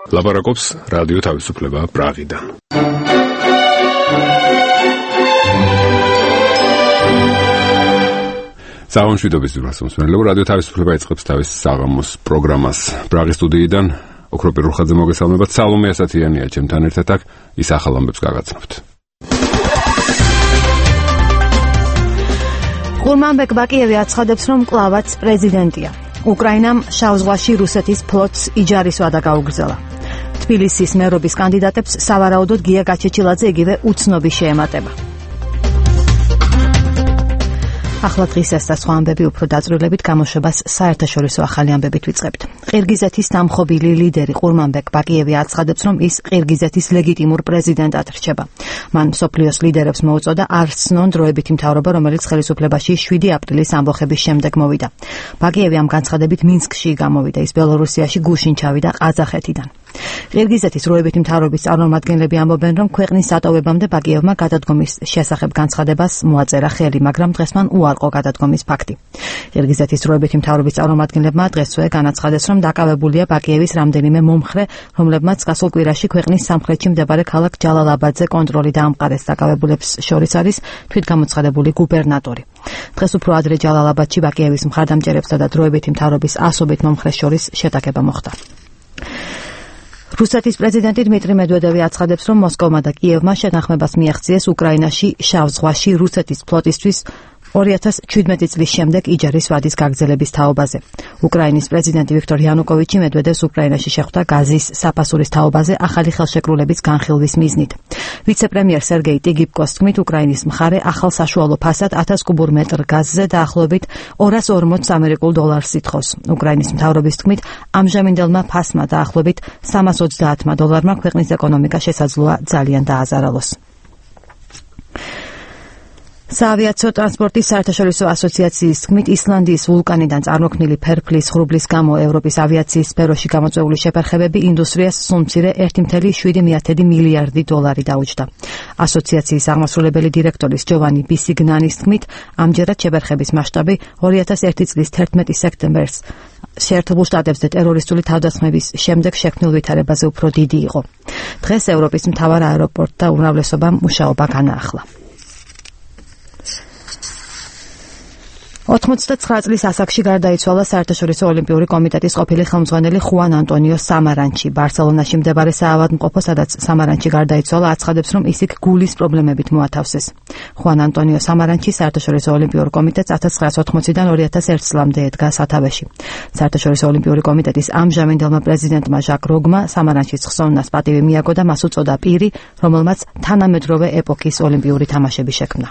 ლაპარაკობს რადიო თავისუფლება პრაღიდან. საღამოშვიდობის ძვირფასმოსმენელო რადიო თავისუფლება იწყებს თავის საღამოს პროგრამას. პრაღის სტუდიიდან ოქროპირ რუხაძე მოგესალმებათ. სალომე ასათიანია ჩემთან ერთად აქ, ის ახალ ამბებს გაგაცნობთ. ყურმანბეკ ბაკიევი აცხადებს, რომ კლავაც პრეზიდენტია. უკრაინამ შავ ზღვაში რუსეთის ფლოტს იჯარის ვადა გაუგრძელა. თბილისის მერობის კანდიდატებს სავარაუდოდ გია გაჩეჩილაძე იგივე უცნობი შეემატება. ახლა დღისას და სხვა ამბები უფრო დაწვრილებით გამოშვებას საერთაშორისო ახალი ამბებით ვიწყებთ. ყირგიზეთის დამხობილი ლიდერი ყურმანბეკ ბაკიევი აცხადებს, რომ ის ყირგიზეთის ლეგიტიმურ პრეზიდენტად რჩება. მან მსოფლიოს ლიდერებს მოუწოდა არ ცნონ დროებითი მთავრობა, რომელიც ხელისუფლებაში 7 აპრილის ამბოხების შემდეგ მოვიდა. ბაკიევი ამ განცხადებით მინსკში გამოვიდა, ის ბელორუსიაში გუშინ ჩავიდა ყაზახეთიდან. ყირგიზეთის დროებითი მთავრობის წარმომადგენლები ამბობენ, რომ ქვეყნის დატოვებამდე ბაკიევმა გადადგომის შესახებ განცხადებას მოაწერა ხელი, მაგრამ დღეს მან უარყო გადადგომის ფაქტი. ყირგიზეთის დროებითი მთავრობის წარმომადგენლებმა დღესვე განაცხადეს, რომ დაკავებულია ბაკიევის რამდენიმე მომხრე, რომლებმაც გასულ კვირაში ქვეყნის სამხრეთში მდებარე ქალაქ ჯალალაბადზე კონტროლი დაამყარეს. დაკავებულებს შორის არის თვითგამოცხადებული გუბერნატორი. დღეს უფრო ადრე ჯალალაბადში ბაკიევის მხარდამჭერებსა და დროებითი მთავრობის ასობით მომხრეს შორის შეტაკება მოხდა. რუსეთის პრეზიდენტი დმიტრი მედვედევი აცხადებს, რომ მოსკოვმა და კიევმა შეთანხმებას მიაღწიეს უკრაინაში შავ ზღვაში რუსეთის ფლოტისთვის 2017 წლის შემდეგ იჯარის ვადის გაგრძელების თაობაზე. უკრაინის პრეზიდენტი ვიქტორ იანუკოვიჩი მედვედევს უკრაინაში შეხვდა გაზის საფასურის თაობაზე ახალი ხელშეკრულების განხილვის მიზნით. ვიცე-პრემიერ სერგეი ტიგიპკოს თქმით, უკრაინის მხარე ახალ საშუალო ფასად 1000 კუბურ მეტრ გაზზე დაახლოებით $240 ამერიკულ ითხოვს. უკრაინის მთავრობის თქმით, ამჟამინდელმა ფასმა დაახლოებით $330 ქვეყნის ეკონომიკა შესაძლოა ძალიან დააზარალოს. საავიაციო ტრანსპორტის საერთაშორისო ასოციაციის თქმით, ისლანდიის ვულკანიდან წარმოქმნილი ფერფლის ღრუბლის გამო ევროპის ავიაციის სფეროში გამოწვეული შეფერხებები ინდუსტრიას სულ-მცირე $1.7 მილიარდი დაუჯდა. ასოციაციის აღმასრულებელი დირექტორის ჯოვანი ბისიგნანის თქმით, ამჯერად შეფერხების მასშტაბი 2001 წლის 11 სექტემბერს შეერთებულ შტატებზე ტერორისტული თავდასხმების შემდეგ შექმნილ ვითარებაზე უფრო დიდი იყო. დღეს ევროპის მთავარ აეროპორტთა უმრავლესობამ მუშაობა განაახლა. 89 წლის ასაკში გარდაიცვალა საერთაშორისო ოლიმპიური კომიტეტის ყოფილი ხელმძღვანელი ხუან ანტონიო სამარანჩი. ბარსელონაში მდებარე საავადმყოფო, სადაც სამარანჩი გარდაიცვალა, აცხადებს, რომ ის იქ გულის პრობლემებით მოათავსეს. ხუან ანტონიო სამარანჩი საერთაშორისო ოლიმპიურ კომიტეტს 1980-დან 2001 წლამდე ედგა სათავეში. საერთაშორისო ოლიმპიური კომიტეტის ამჟამინდელმა პრეზიდენტმა ჟაკ როგმა სამარანჩის ხსოვნას პატივი მიაგო და მას უწოდა პირი, რომელმაც თანამედროვე ეპოქის ოლიმპიური თამაშები შექმნა.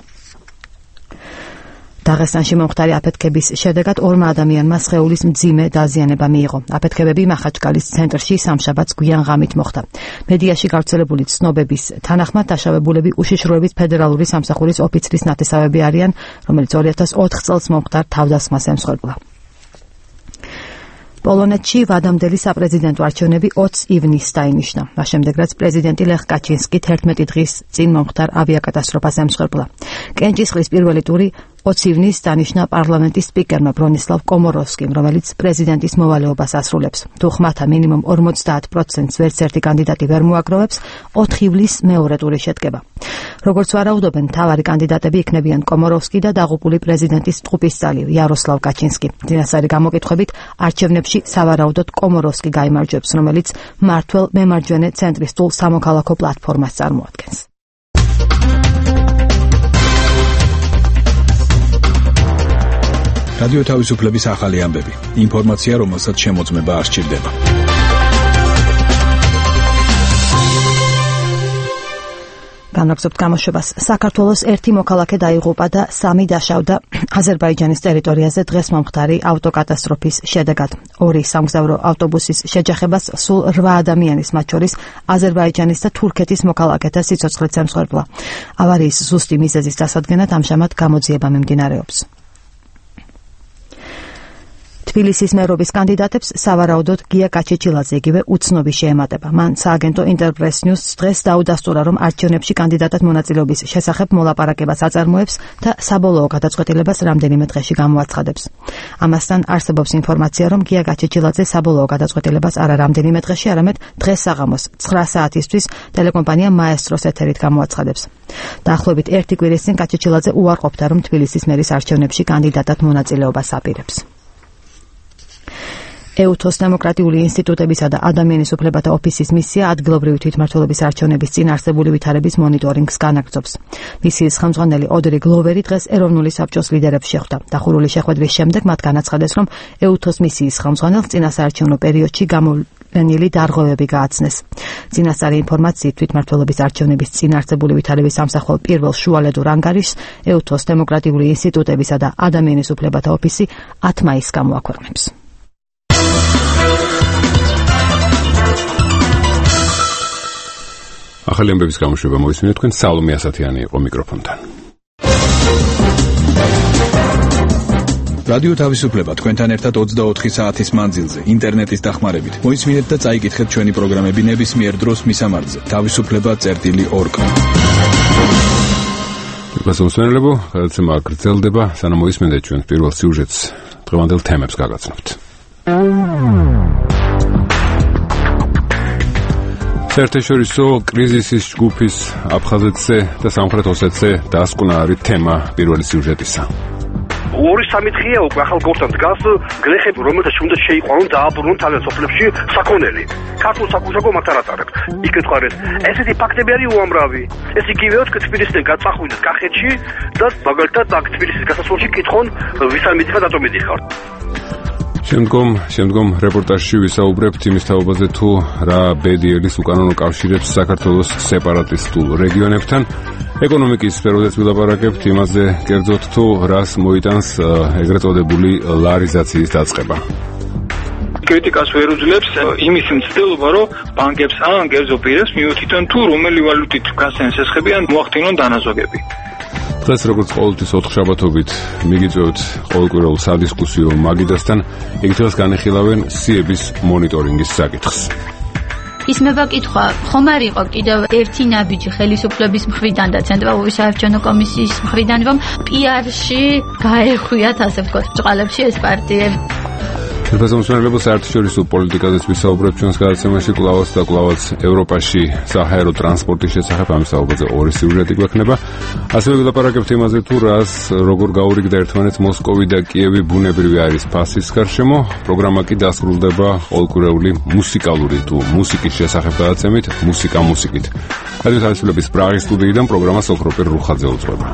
დაღესტანში მომხდარი აფეთქების შედეგად 2 ადამიანმა სხეულის მძიმე დაზიანება მიიღო. აფეთქებები მახაჩკალის ცენტრში სამშაბათს გვიან ღამით მოხდა. მედიაში გავრცელებული ცნობების თანახმად დაშავებულები უშიშროების ფედერალური სამსახურის ოფიცრის ნათესავები არიან, რომელიც 2004 წელს მომხდარ თავდასხმას ემსხვერპლა. პოლონეთში ვადამდელი საპრეზიდენტო არჩევნები 20 ივნისს დაინიშნა. მას შემდეგ, რაც პრეზიდენტი ლეხ კაჩინსკი 11 დღის წინ მომხდარ ავიაკატასტროფას ემსხვერპლა. კენჭისყრის პირველი ტური 20 ივნისს დანიშნა პარლამენტის სპიკერმა ბრონისლავ კომოროვსკიმ, რომელიც პრეზიდენტის მოვალეობას ასრულებს. თუ ხმათა მინიმუმ 50%-ს ვერც ერთი კანდიდატი ვერ მოაგროვებს, 4 ივლისს მეორე ტური შედგება. როგორც ვარაუდობენ, მთავარი კანდიდატები იქნებიან კომოროვსკი და დაღუპული პრეზიდენტის ტყუპისცალი იაროსლავ კაჩინსკი. წინასწარი გამოკითხვებით არჩევნებში სავარაუდოდ კომოროვსკი გაიმარჯვებს, რომელიც მართლ მემარჯვენე ცენტრისტულ სამოქალაქო პლატფორმას წარმოადგენს. რადიო თავისუფლების ახალი ამბები. ინფორმაცია, რომელსაც შემოწმება არ სჭირდება. განაგზობთ გამოშვებას. საქართველოს 1 მოქალაქე დაიღუპა და 3 დაშავდა აზერბაიჯანის ტერიტორიაზე დღეს მომხდარი ავტოკატასტროფის შედეგად. 2 სამგზავრო ავტობუსის შეჯახებას სულ 8 ადამიანის, მათ შორის აზერბაიჯანის და თურქეთის მოქალაქეთა სიცოცხლეც ემსხვერპლა. ავარიის ზუსტი მიზეზის დასადგენად ამჟამად გამოძიება მიმდინარეობს. თბილისის მერობის კანდიდატებს სავარაუდოდ გია გაჩეჩილაძე იგივე უცნობი შეემატება. მან სააგენტო ინტერპრეს ნიუსს დღეს დაუდასტურა, რომ არჩევნებში კანდიდატად მონაწილეობის შესახებ მოლაპარაკებას აწარმოებს და საბოლოო გადაწყვეტილებას რამდენიმე დღეში გამოაცხადებს. ამასთან არსებობს ინფორმაცია, რომ გია გაჩეჩილაძე საბოლოო გადაწყვეტილებას არა რამდენიმე დღეში, არამედ დღეს საღამოს 9 საათისთვის ტელეკომპანია მაესტროს ეთერით გამოაცხადებს. დაახლოებით 1 კვირის წინ გაჩეჩილაძე უარყოფდა, რომ თბილისის მერის არჩევნებში კანდიდატად მონაწილეობას აპირებს. EUTHOS დემოკრატიული ინსტიტუტებისა და ადამიანის უფლებათა ოფისის მისია ადგილობრივი თვითმმართველობის არჩევნების წინ არსებული ვითარების მონიტორინგს განაგრძობს. მისიის ხელმძღვანელი ოდრი გლოვერი დღეს ეროვნული საბჭოს ლიდერებს შეხვდა. დახურული შეხვედრის შემდეგ მათ განაცხადეს, რომ EUTHOS მისიის ხელმძღვანელს წინასაარჩევნო პერიოდში გამოვლენილი დარღვევები გააცნეს. წინასწარი ინფორმაციით თვითმმართველობის არჩევნების წინ არსებული ვითარების სამსახურ პირველ შუალედურ ანგარიშს EUTHOS დემოკრატიული ინსტიტუტებისა და ადამიანის უფლებათა ოფისი 10 მაისს გამოაქვეყნებს. ახალი ამბების გამოშვება მოისმინეთ, თქვენ სალომე ასათიანი იყო მიკროფონთან. რადიო თავისუფლება თქვენთან ერთად 24 საათის მანძილზე ინტერნეტის დახმარებით. მოისმინეთ და წაიკითხეთ ჩვენი პროგრამები ნებისმიერ დროს მისამართზე. თავისუფლება.org. მოსმენელებო, გადაცემა გრძელდება, სანამ მოისმინეთ ჩვენ პირველ სიუჟეტს, დღევანდელ თემებს გაგაცნობთ. საერთაშორისო კრიზისის ჯგუფის აფხაზეთზე და სამხრეთ ოსეთზე დასკვნა არის თემა პირველი სიუჟეტისა. 2-3 დღეა უკვე ახალ გორთან დგას გლეხები, რომელთაც უნდა შეიყვანონ დააბრუნონ თავიანთ სოფლებში საქონელი. ქართულ საკუთრებო მათ არ აწარებთ. იკითხარეს, ესეთი ფაქტები არის უამრავი. ეს იგივეა თბილისიდან გაწახვიდეთ კახეთში და მაგალითად აქ თბილისის გასასვლელში კითხონ, ვისთან მიდიხარ, რატომ მიდიხარ. შემდგომ რეპორტაჟში ვისაუბრებთ იმის თაობაზე, თუ რა ბედიერის უკანონო კავშირებს საქართველოს სეპარატისტულ რეგიონებთან. ეკონომიკის სფეროდაც ვილაპარაკებთ იმაზე, კერძოდ თუ რას მოიტანს ეგრეთ წოდებული ლარიზაციის დაწყება. კრიტიკას ვერ უძლებს იმის მცდელობა, რომ ბანკებს ან კერძო პირებს მიუთითონ თუ რომელი ვალუტით გასცენ სესხები ან მოახდინონ დანაზოგები. დღეს როგორც ყოველთვის 4 შაბათობით მიგიწევთ ყოველკვირეულ სადისკუსიო მაგიდასთან, იქ დღეს განეხილავენ სიების მონიტორინგის საკითხს. ისმება კითხვა, ხომ არ იყო კიდევ ერთი ნაბიჯი ხელისუფლების მხრიდან და ცენტრალური საარჩევნო კომისიის მხრიდან, რომ PR-ში გაეხვიათ, ასე ვთქვათ, ბჭყალებში ეს პარტიები. ხელმძღვანელობო საერთაშორისო პოლიტიკაზეც ვისაუბრებთ ჩვენს გადაცემაში კვლავაც და კვლავაც ევროპაში საჰაერო ტრანსპორტის შესახებ, ამ საუბარზე 2 სიუჟეტი გვექნება. ასევე ვილაპარაკებთ იმაზე, თუ რას როგორ გაურიგდა ერთმანეთს მოსკოვი და კიევი ბუნებრივი არის ფასის გარშემო. პროგრამა კი დასრულდება ყოველკვირეული მუსიკალური თუ მუსიკის შესახებ გადაცემით მუსიკა მუსიკით. რადიო თავისუფლების პრაღის სტუდიიდან პროგრამას ოქროპირ რუხაძე უძღვება.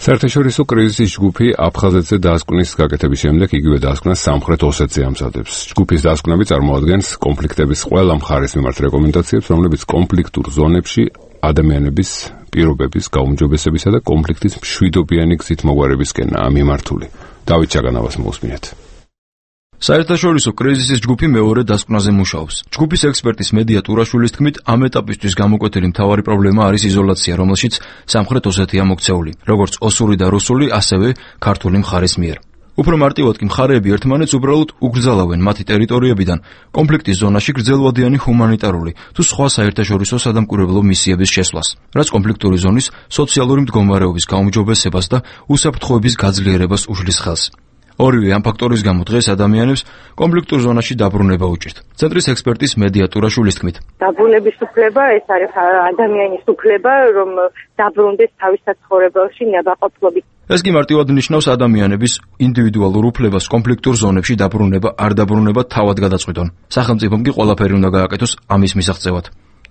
საერთაშორისო კრიზისის ჯგუფი აფხაზეთზე დასკვნის გაკეთების შემდეგ იგივე დასკვნას სამხრეთ ოსეთზე ამზადებს. ჯგუფის დასკვნები წარმოადგენს კონფლიქტების ყველა მხარის მიმართ რეკომენდაციებს, რომლებიც კონფლიქტურ ზონებში ადამიანების პირობების გაუმჯობესებისა და კონფლიქტის მშვიდობიანი გზით მოგვარებისკენაა მიმართული. დავით ჩაგანავას მოусმინეთ. საერთაშორისო კრიზისის ჯგუფი მეორე დასკვნაზე მუშაობს. ჯგუფის ექსპერტის მედია ტურაშვილის თქმით, ამ ეტაპისთვის გამოკვეთილი მთავარი პრობლემა არის იზოლაცია, რომელშიც სამხრეთ ოსეთია მოქცეული, როგორც ოსური და რუსული, ასევე ქართული მხარის მიერ. უფრო მარტივად კი მხარეები ერთმანეთს უბრალოდ უგრძალავენ მათი ტერიტორიებიდან კონფლიქტის ზონაში გრძელვადიანი ჰუმანიტარული თუ სხვა საერთაშორისო სადამკვირვებლო მისიების შესვლას, რაც კონფლიქტური ზონის სოციალური მდგომარეობის გაუმჯობესებას და უსაფრთხოების გაძლიერებას უშლის ხელს. ორივე ამ ფაქტორის გამო დღეს ადამიანებს კონფლიქტურ ზონაში დაბრუნება უჭირთ. ცენტრის ექსპერტის მედია ტურაშვილის თქმით, დაბრუნების უფლება ეს არის ადამიანის უფლება, რომ დაბრუნდეს თავის საცხოვრებელში ნებაყოფლობით. ეს კი მარტივად ნიშნავს ადამიანების ინდივიდუალურ უფლებას კონფლიქტურ ზონებში დაბრუნება არ დაბრუნება თავად გადაწყვიტონ. სახელმწიფომ კი ყველაფერი უნდა გააკეთოს ამის მისაღწევად.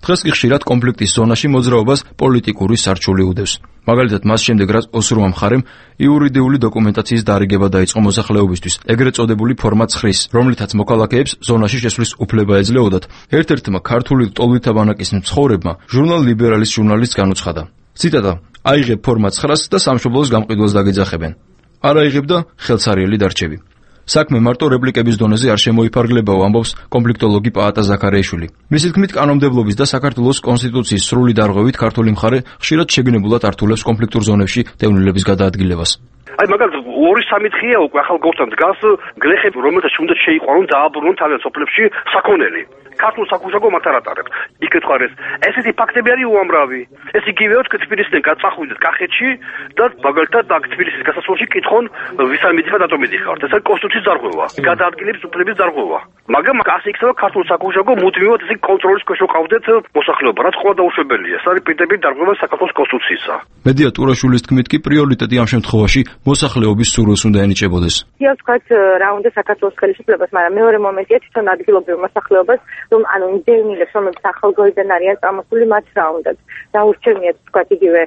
დღეს კი ხშირად კონფლიქტის ზონაში მოძრაობას პოლიტიკური სარჩული უდევს. მაგალითად, მას შემდეგ რაც ოსურმა მხარემ იურიდიული დოკუმენტაციის დარიგება დაიწყო მოსახლეობისთვის, ეგრეთ წოდებული ფორმა 9-ის, რომლითაც მოქალაქეებს ზონაში შესვლის უფლება ეძლეოდათ, ერთ-ერთმა ქართული ტოლვითა ბანაკის მცხოვრებმა ჟურნალ ლიბერალის ჟურნალისტს განუცხადა. ციტატა: აიღებ ფორმა 9-ს და სამშობლოს გამყიდველს დაგეძახებენ. არ აიღებ და ხელცარიელი დარჩები. საქმე მარტო რეპლიკების დონეზე არ შემოიფარგლებაო, ამბობს კონფლიქტოლოგი პაატა ზაქარიაშვილი. მისი თქმით, კანონმდებლობის და საქართველოს კონსტიტუციის სრული დარღვევით ქართული მხარე ხშირად შეგნებულად ართულებს კონფლიქტურ ზონებში დევნილების გადაადგილებას. აი მაგალითად 2-3 დღეა უკვე ახალ გორთან დგას გლეხები, რომელთა უნდა შეიყვანონ დააბრუნონ თავიანთ სოფლებში საქონელი. ქართულ საკუთრებო მათ არ ატარებთ. იკითხარ ესეთი ფაქტები არის უამრავი. ეს იგივეა თბილისიდან გაწახულდეთ კახეთში და მაგალითად აქ თბილისის გასასვლელში კითხონ ვისთან მიდიხარ რატომ მიდიხართ. ეს არის კონსტიტუციის დარღვევა. გადაადგილების უფლების დარღვევა. მაგრამ ასე იქნება ქართულ საკუთრებო მუდმივად ესე კონტროლის ქვეშ ყავდეთ მოსახლეობა, რაც ყველა დაუშვებელია. ეს არის პირდაპირ დარღვევა საქართველოს კონსტიტუციისა. მედია ტურაშვილის თქმით კი პრიორიტეტი ამ შემთხვევაში მოსახლეობის სურვილს უნდა ენიჭებოდეს. ის ვთქვათ რა უნდა საქართველოს ხელისუფლებას, მაგრამ მეორე მომენტია თვითონ ადგილობრივ მოსახლეობას, რომ ანუ დევნილებს, რომლებიც ახალგაზრდან არიან წამოსული, მათ რა უნდათ დაურჩენიათ ვთქვათ იგივე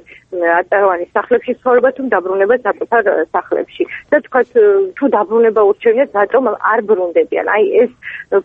აწარმოების სახლებში ცხოვრება თუ დაბრუნება საკუთარ სახლებში და ვთქვათ თუ დაბრუნება ურჩენიათ, რატომ არ ბრუნდებიან. აი ეს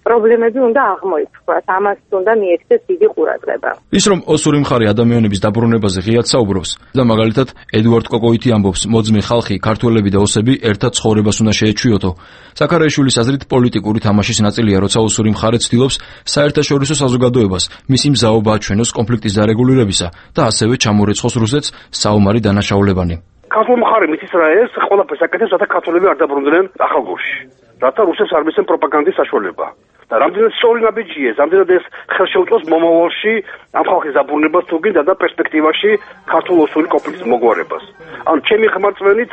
პრობლემები უნდა აღმოიფხვრათ, ამას უნდა მიექცეს დიდი ყურადღება. ის რომ ოსური მხარე ადამიანების დაბრუნებაზე ღიად საუბრობს და მაგალითად ედუარდ კოკოიტი ამბობს, მოძმე ხალხი, ქართველები და ოსები ერთად ცხოვრებას უნდა შეეჩვიოთო. ზაქარიაშვილის აზრით პოლიტიკური თამაშის ნაწილია, როცა ოსური მხარე ცდილობს საერთაშორისო საზოგადოებას მისი მზაობა აჩვენოს კონფლიქტის დარეგულირებისა და ასევე ჩამორეცხოს რუსეთს საომარი დანაშაულებანი. ქართულ მხარე მითის რა ეს ყველაფერს აკეთებს, რათა ქართველები არ დაბრუნდნენ ახალგორში. რათა რუსებს არ მისცენ პროპაგანდის საშუალება. და რამდენად სწორი ნაბიჯია ეს, რამდენად ეს ხელს შეუწყობს მომავალში ამ ხალხის დაბრუნებას თუ გინდა და პერსპექტივაში ქართულ-ოსური კონფლიქტის მოგვარებას. ანუ ჩემი ხმარწვენით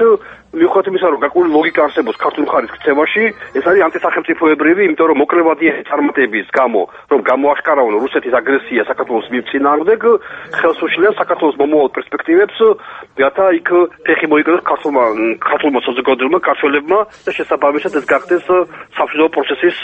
მიუხედავად იმისა, რომ გარკვეული ლოგიკა არსებობს ქართულ მხარის ქცევაში, ეს არის ანტისახელმწიფოებრივი, იმიტომ რომ მოკლევადია წარმატების გამო, რომ გამოაშკარავონ რუსეთის აგრესია საქართველოს მიმწინააღმდეგ, ხელს უშლიან საქართველოს მომავალ პერსპექტივებს, რათა იქ ფეხი მოიკიდოს ქართულმა საზოგადოებამ, ქართველებმა და შესაბამისად ეს გახდეს სამშვიდობო პროცესის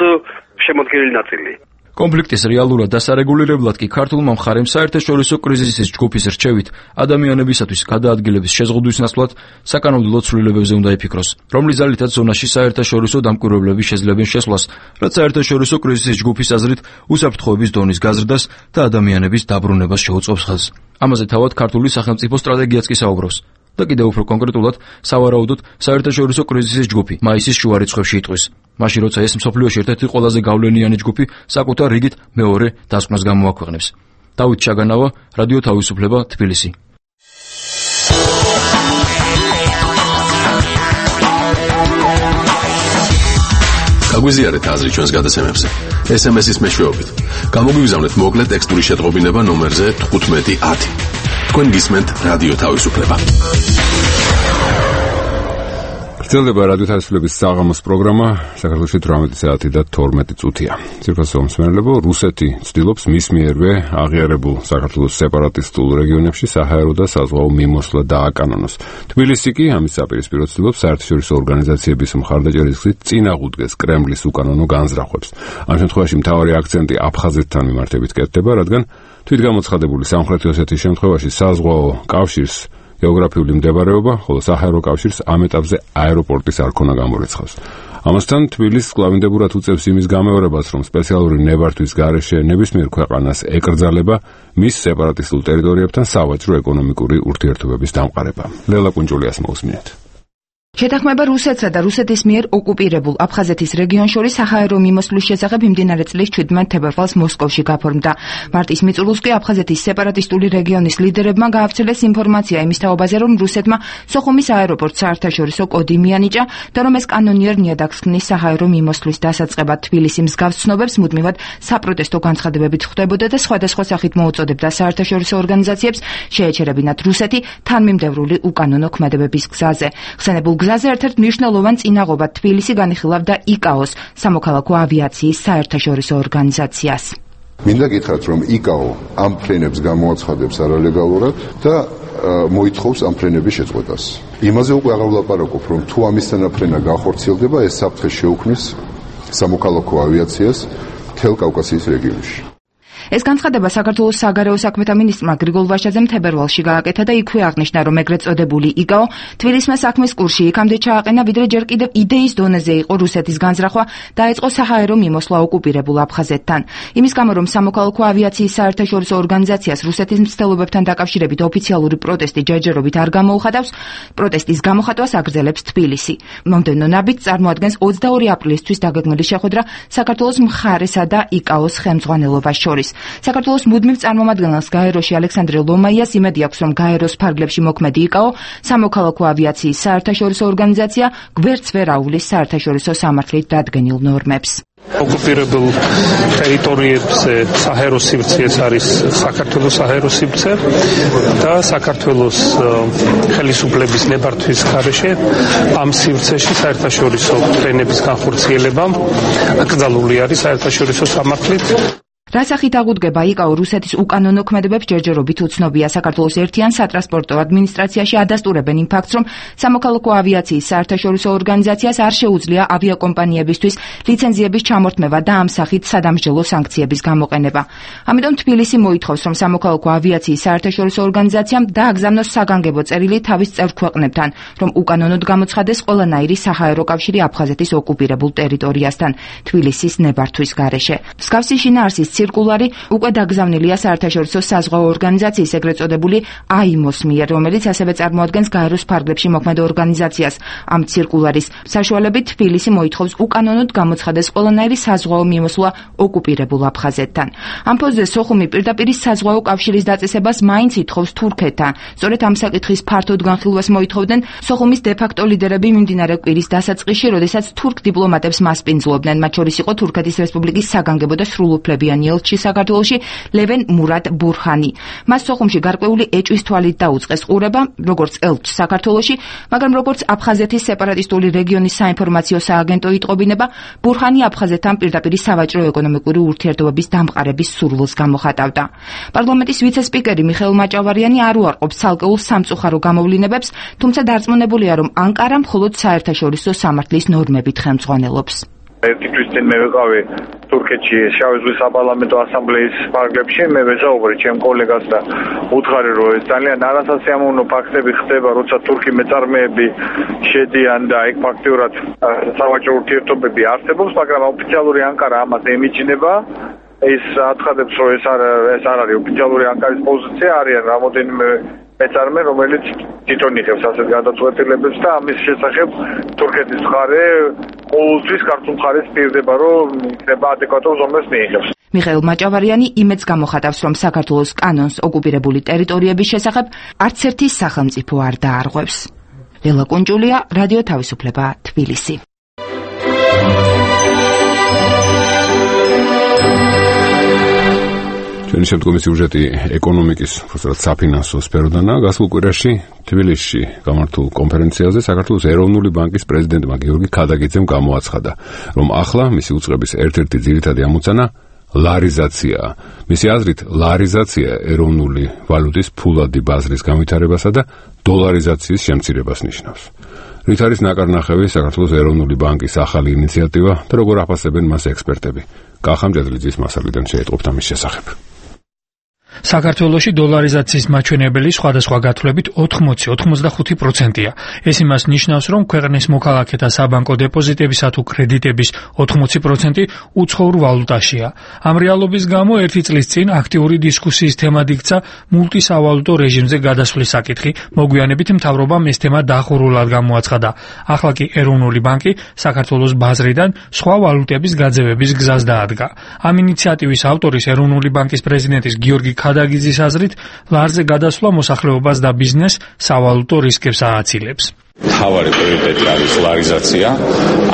შემოქმედელი ნაწილი. კონფლიქტის რეალურად დასარეგულირებლად კი ქართულმა მხარემ საერთაშორისო კრიზისის ჯგუფის რჩევით ადამიანებისათვის გადაადგილების შეზღუდვის ნაცვლად საკანონმდებლო ცვლილებებზე უნდა იფიქროს, რომლის ძალითაც ზონაში საერთაშორისო დამკვირვებლები შეძლებენ შესვლას, რაც საერთაშორისო კრიზისის ჯგუფის აზრით უსაფრთხოების დონის გაზრდას და ადამიანების დაბრუნებას შეუწყობს ხელს. ამაზე თავად ქართული სახელმწიფო სტრატეგიაც კი საუბრობს. და კიდევ უფრო კონკრეტულად სავარაუდოდ საერთაშორისო კრიზისის ჯგუფი მაისის შუა რიცხვებში იტყვის. მაშინ როცა ეს მსოფლიოში ერთ-ერთი ყველაზე გავლენიანი ჯგუფი საკუთარ რიგით მეორე დასკვნას გამოაქვეყნებს. დავით ჩაგანავა, რადიო თავისუფლება, თბილისი. გაგვიზიარეთ აზრი ჩვენს გადაცემებზე. SMS-ის მეშვეობით. გამოგვიგზავნეთ მოკლე ტექსტური შეტყობინება ნომერზე 1510. თქვენ გისმენთ რადიო თავისუფლება. გრძელდება რადიო თავისუფლების საღამოს პროგრამა, საქართველოში 18 საათი და 12 წუთია. ძირფასო მსმენელებო, რუსეთი ცდილობს მის მიერვე აღიარებულ საქართველოს სეპარატისტულ რეგიონებში საჰაერო და საზღვაო მიმოსვლა დააკანონოს. თბილისი კი ამის საპირისპირო ცდილობს საერთაშორისო ორგანიზაციების მხარდაჭერის გზით წინაღუდგეს კრემლის უკანონო განზრახვებს. ამ შემთხვევაში მთავარი აქცენტი აფხაზეთთან მიმართებით კეთდება, რადგან თვითგამოცხადებული სამხრეთი ოსეთის შემთხვევაში საზღვაო კავშირს გეოგრაფიული მდებარეობა, ხოლო საჰაერო კავშირს ამ ეტაპზე აეროპორტის არქონა გამორიცხავს. ამასთან თბილისს კლავინდებურად უწევს იმის გამეორებას, რომ სპეციალური ნებართვის გარეშე ნებისმიერ ქვეყანას ეკრძალება მის სეპარატისტულ ტერიტორიებთან სავაჭრო ეკონომიკური ურთიერთობების დამყარება. ლელა კუნჯულიას მოусმინეთ. შეთანხმება რუსეთსა და რუსეთის მიერ ოკუპირებულ აფხაზეთის რეგიონს შორის საჰაერო მიმოსვლის შესახებ იმდენარე წლის 17 თებერვალს მოსკოვში გაფორმდა. მარტის მიწურულს კი აფხაზეთის სეპარატისტული რეგიონის ლიდერებმა გაავრცელეს ინფორმაცია იმის თაობაზე, რომ რუსეთმა სოხუმის აეროპორტს საერთაშორისო კოდი მიანიჭა და რომ ეს კანონიერ ნიადაგს ქმნის საჰაერო მიმოსვლის დასაწყებად. თბილისი მსგავს ცნობებს მუდმივად საპროტესტო განცხადებებით ხვდებოდა და სხვადასხვა სახით მოუწოდებდა საერთაშორისო ორგანიზაციებს შეეჩერებინათ რუსეთი თანმიმდევრული უკანონო ქმედებების გზაზე. ხსენებულ გზაზე ერთ-ერთ მნიშვნელოვან წინაღობად თბილისი განიხილავდა იკაოს, სამოქალაქო ავიაციის საერთაშორისო ორგანიზაციას. მინდა გითხრათ, რომ იკაო ამ ფრენებს გამოაცხადებს არალეგალურად და მოითხოვს ამ ფრენების შეწყვეტას. იმაზე უკვე აღარ ვლაპარაკობ, რომ თუ ამის თანაფრენა განხორციელდება, ეს საფრთხე შეუქმნის სამოქალაქო ავიაციას მთელ კავკასიის რეგიონში. ეს განცხადება საქართველოს საგარეო საქმეთა მინისტრმა გრიგოლ ვაშაძემ თებერვალში გააკეთა და იქვე აღნიშნა, რომ ეგრეთ წოდებული იკაო თბილისმა საქმის კურსში იქამდე ჩააყენა, ვიდრე ჯერ კიდევ იდეის დონეზე იყო რუსეთის განზრახვა, დაეწყო საჰაერო მიმოსვლა ოკუპირებულ აფხაზეთთან. იმის გამო, რომ სამოქალაქო ავიაციის საერთაშორისო ორგანიზაციას რუსეთის მცდელობებთან დაკავშირებით ოფიციალური პროტესტი ჯერჯერობით არ გამოუხატავს, პროტესტის გამოხატვას აგრძელებს თბილისი. მომდევნო ნაბიჯს წარმოადგენს 22 აპრილისთვის დაგეგმილი შეხვედრა საქართველოს მხარესა და იკაოს ხელმძღვანელობას შორის. საქართველოს მუდმივ წარმომადგენელს გაეროში ალექსანდრე ლომაიას იმედი აქვს, რომ გაეროს ფარგლებში მოქმედი იკაო სამოქალაქო ავიაციის საერთაშორისო ორგანიზაცია გვერდს ვერ აუვლის საერთაშორისო სამართლით დადგენილ ნორმებს. ოკუპირებულ ტერიტორიებზე საჰაერო სივრცეც არის საქართველოს საჰაერო სივრცე და საქართველოს ხელისუფლების ნებართვის გარეშე ამ სივრცეში საერთაშორისო ფრენების განხორციელება აკრძალული არის საერთაშორისო სამართლით. რასახით აღუდგება იკაო რუსეთის უკანონო ქმედებებს ჯერჯერობით უცნობია. საქართველოს ერთიან სატრანსპორტო ადმინისტრაციაში ადასტურებენ იმ ფაქტს, რომ სამოქალაქო ავიაციის საერთაშორისო ორგანიზაციას არ შეუძლია ავიაკომპანიებისთვის ლიცენზიების ჩამორთმევა და ამ სახით სადამსჯელო სანქციების გამოყენება. ამიტომ თბილისი მოითხოვს, რომ სამოქალაქო ავიაციის საერთაშორისო ორგანიზაციამ დააგზავნოს საგანგებო წერილი თავის წევრ ქვეყნებთან, რომ უკანონოდ გამოცხადეს ყველანაირი საჰაერო კავშირი აფხაზეთის ოკუპირებულ ტერიტორიასთან თბილისის ნებართვის გარეშე. მსგავსი შინაარსის ცირკულარი უკვე დაგზავნილია საერთაშორისო საზღვაო ორგანიზაციის ეგრეთ წოდებული AIMO-ს მიერ, რომელიც ასევე წარმოადგენს გაეროს ფარგლებში მოქმედ ორგანიზაციას. ამ ცირკულარის საშუალებით თბილისი მოითხოვს უკანონოდ გამოცხადეს ყველანაირი საზღვაო მიმოსვლა ოკუპირებულ აფხაზეთთან. ამ ფონზე სოხუმი პირდაპირ საზღვაო კავშირის დაწესებას მაინც ითხოვს თურქეთთან. სწორედ ამ საკითხის ფართოდ განხილვას მოითხოვდნენ სოხუმის დე-ფაქტო ლიდერები მიმდინარე კვირის დასაწყისში, როდესაც თურქ დიპლომატებს მასპინძლობდნენ. მათ შორის იყო თურქეთის რესპუბლიკის საგანგებო და სრულუფლებიანი ელჩი საქართველოში ლევენ მურად ბურჰანი. მას სოხუმში გარკვეული ეჭვის თვალით დაუწყეს ყურება, როგორც ელჩს საქართველოში, მაგრამ როგორც აფხაზეთის სეპარატისტული რეგიონის საინფორმაციო სააგენტო იტყობინება, ბურჰანი აფხაზეთთან პირდაპირ სავაჭრო ეკონომიკური ურთიერთობების დამყარების სურვილს გამოხატავდა. პარლამენტის ვიცე-სპიკერი მიხეილ მაჭავარიანი არ უარყოფს ცალკეულ სამწუხარო გამოვლინებებს, თუმცა დარწმუნებულია, რომ ანკარა მხოლოდ საერთაშორისო სამართლის ნორმებით ხელმძღვანელობს. ერთი თვის წინ მე ვიყავი თურქეთში შავი ზღვის საპარლამენტო ასამბლეის ფარგლებში, მე ვეზაუბრე ჩემ კოლეგას და უთხარი, რომ ეს ძალიან არასასიამოვნო ფაქტები ხდება, როცა თურქი მეწარმეები შედიან და ეგ ფაქტიურად სავაჭრო ურთიერთობები არსებობს, მაგრამ ოფიციალური ანკარა ამას ემიჯნება. ეს აცხადებს, რომ ეს არ არის ოფიციალური ანკარის პოზიცია, არიან რამოდენიმე მეწარმე, რომელიც თვითონ იღებს ასეთ გადაწყვეტილებებს და ამის შესახებ თურქეთის მხარე ყოველთვის ქართულ მხარეს პირდება, რომ იქნება ადეკვატურ ზომებს მიიღებს. მიხეილ მაჭავარიანი იმედს გამოხატავს, რომ საქართველოს კანონს ოკუპირებული ტერიტორიების შესახებ არც ერთი სახელმწიფო არ დაარღვევს. ლელა კუნჭულია, რადიო თავისუფლება, თბილისი. ჩვენი შემდგომი სიუჟეტი ეკონომიკის, უბრალოდ საფინანსო სფეროდანაა. გასულ კვირაში თბილისში გამართულ კონფერენციაზე საქართველოს ეროვნული ბანკის პრეზიდენტმა გიორგი ქადაგიძემ გამოაცხადა, რომ ახლა მისი უწყების ერთ-ერთი ძირითადი ამოცანა ლარიზაციაა. მისი აზრით, ლარიზაცია ეროვნული ვალუტის ფულადი ბაზრის განვითარებასა და დოლარიზაციის შემცირებას ნიშნავს. რით არის ნაკარნახევი საქართველოს ეროვნული ბანკის ახალი ინიციატივა და როგორ აფასებენ მას ექსპერტები? კახა მჭედლიძის მასალიდან შეეტყობთ ამის შესახებ. საქართველოში დოლარიზაციის მაჩვენებელი სხვადასხვა გათვლებით 80-85%-ია. ეს იმას ნიშნავს, რომ ქვეყნის მოქალაქეთა საბანკო დეპოზიტებისა თუ კრედიტების 80% უცხოურ ვალუტაშია. ამ რეალობის გამო ერთი წლის წინ აქტიური დისკუსიის თემად იქცა მულტისავალუტო რეჟიმზე გადასვლის საკითხი. მოგვიანებით მთავრობამ ეს თემა დახურულად გამოაცხადა. ახლა კი ეროვნული ბანკი საქართველოს ბაზრიდან სხვა ვალუტების გაძევების გზას დაადგა. ამ ინიციატივის ავტორის ეროვნული ბანკის პრეზიდენტის გიორგი ქადაგიძის აზრით, ლარზე გადასვლა მოსახლეობას და ბიზნესს სავალუტო რისკებს ააცილებს. მთავარი პრიორიტეტი არის ლარიზაცია,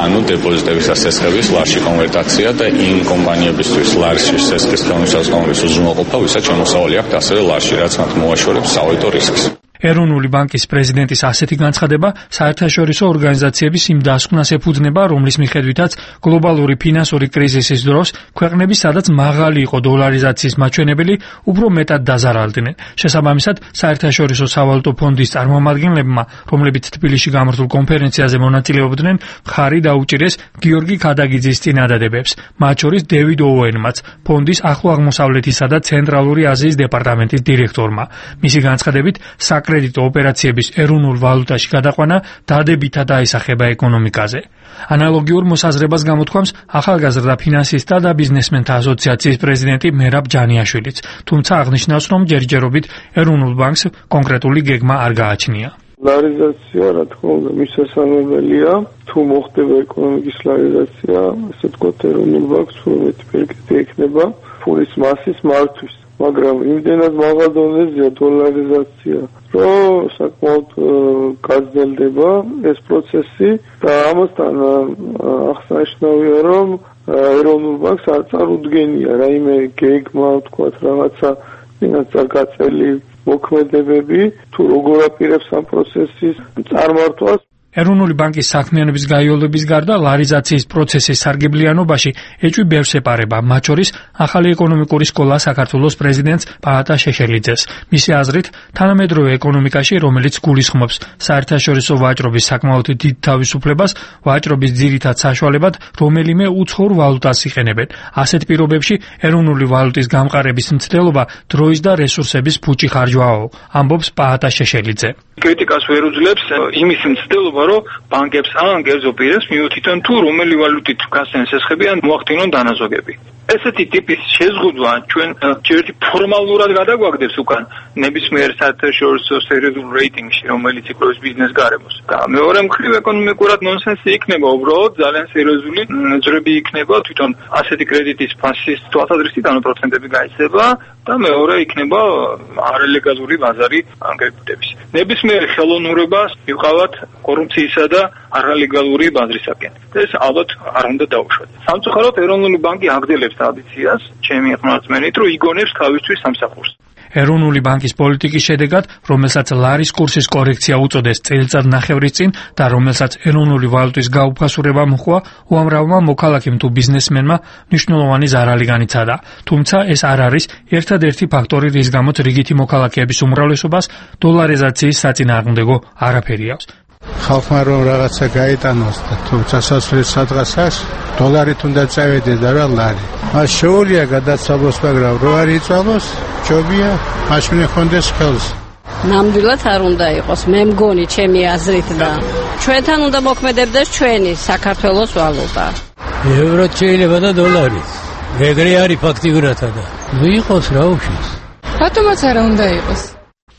ანუ დეპოზიტების და სესხების ლარში კონვერტაცია და იმ კომპანიებისთვის ლარში სესხის ხელმისაწვდომობის უზრუნველყოფა, ვისაც შემოსავალი აქვთ ასევე ლარში, რაც მათ მოაშორებს სავალუტო რისკს. ეროვნული ბანკის პრეზიდენტის ასეთი განცხადება საერთაშორისო ორგანიზაციების იმ დასკვნას ეფუძნება, რომლის მიხედვითაც გლობალური ფინანსური კრიზისის დროს ქვეყნები, სადაც მაღალი იყო დოლარიზაციის მაჩვენებელი, უფრო მეტად დაზარალდნენ. შესაბამისად, საერთაშორისო სავალუტო ფონდის წარმომადგენლებმა, რომლებიც თბილისში გამართულ კონფერენციაზე მონაწილეობდნენ, მხარი დაუჭირეს გიორგი ქადაგიძის წინადადებებს, მათ შორის დევიდ ოუენმაც, ფონდის ახლო აღმოსავლეთისა და ცენტრალური აზიის დეპარტამენტის დირექტორმა. მისი განცხადებით, საკრედიტო ოპერაციების ეროვნულ ვალუტაში გადაყვანა დადებითად აისახება ეკონომიკაზე. ანალოგიურ მოსაზრებას გამოთქვამს ახალგაზრდა ფინანსისტთა და ბიზნესმენთა ასოციაციის პრეზიდენტი მერაბ ჯანიაშვილიც, თუმცა აღნიშნავს, რომ ჯერჯერობით ეროვნულ ბანკს კონკრეტული გეგმა არ გააჩნია. ლარიზაცია, რა თქმა უნდა, მისასალმებელია, თუ მოხდება ეკონომიკის ლარიზაცია, ასე ვთქვათ, ეროვნულ ბანკს უმეტი პერკეტი ექნება ფულის მასის მართვის, მაგრამ იმდენად მაღალ დონეზეა დოლარიზაცია, რომ საკმაოდ გაზრდელდება ეს პროცესი და ამასთან აღსანიშნავია, რომ ეროვნულ ბანკს არ წარუდგენია რაიმე გეგმა, ვთქვათ, რაღაცა წარგაწელი მოქმედებები, თუ როგორ აპირებს ამ პროცესის წარმართვას. ეროვნული ბანკის საქმიანობის გაიოლების გარდა ლარიზაციის პროცესის სარგებლიანობაში ეჭვი ბევრს ეპარება, მათ შორის ახალი ეკონომიკური სკოლა საქართველოს პრეზიდენტს პაატა შეშელიძეს. მისი აზრით, თანამედროვე ეკონომიკაში, რომელიც გულისხმობს საერთაშორისო ვაჭრობის საკმაოდ დიდ თავისუფლებას, ვაჭრობის ძირითად საშუალებად რომელიმე უცხოურ ვალუტას იყენებენ. ასეთ პირობებში ეროვნული ვალუტის გამყარების მცდელობა დროის და რესურსების ფუჭი ხარჯვაო, ამბობს პაატა შეშელიძე. კრიტიკას ვერ უძლებს იმის მცდელობა, რომ ბანკებს ან კერძო პირებს მიუთითონ თუ რომელი ვალუტით გასცენ სესხები ან მოახდინონ დანაზოგები. ესეთი ტიპის შეზღუდვა ჩვენ ჯერ ფორმალურად გადაგვაგდებს უკან ნებისმიერ საერთაშორისო სერიოზულ რეიტინგში, რომელიც იკვლევს ბიზნეს გარემოს. და მეორე მხრივ ეკონომიკურად ნონსენსი იქნება, უბრალოდ ძალიან სერიოზული ძრები იქნება თვითონ ასეთი კრედიტის ფასის თვალსაზრისით, ანუ პროცენტები გაიცდება და მეორე იქნება არალეგალური ბაზარი კრედიტების. ნებისმიერ ხელოვნურებას მივყავთ კორუფციისა და არალეგალური ბაზრისაკენ. ეს ალბათ არ უნდა დაუშვათ. სამწუხაროდ ეროვნული ბანკი აგრძელებს ტრადიციას, ჩემი ხმარწმენით, რომ იგონებს თავისთვის სამსახურს. ეროვნული ბანკის პოლიტიკის შედეგად, რომელსაც ლარის კურსის კორექცია უწოდეს წელიწადნახევრის წინ და რომელსაც ეროვნული ვალუტის გაუფასურება მოჰყვა, უამრავმა მოქალაქემ თუ ბიზნესმენმა მნიშვნელოვანი ზარალი განიცადა. თუმცა ეს არ არის ერთადერთი ფაქტორი, რის გამოც რიგითი მოქალაქეების უმრავლესობას დოლარიზაციის საწინააღმდეგო არაფერი აქვს. ხალხმა რომ რაღაცა გაიტანოს და თუ სასაცილო სადღაცას დოლარით უნდა წავედეს და რა ლარი. მას შეუძლია გადაცვალოს, მაგრამ რო არ იწვალოს, ჯობია მაშინ ხონდეს ხელს. ნამდვილად არ უნდა იყოს, მე მგონი ჩემი აზრით და ჩვენთან უნდა მოქმედებდეს ჩვენი საქართველოს ვალუტა. ევრო შეიძლება და დოლარი. ეგრე არის ფაქტიურათა და ვიყოს რა უშვის. რატომაც არ უნდა იყოს?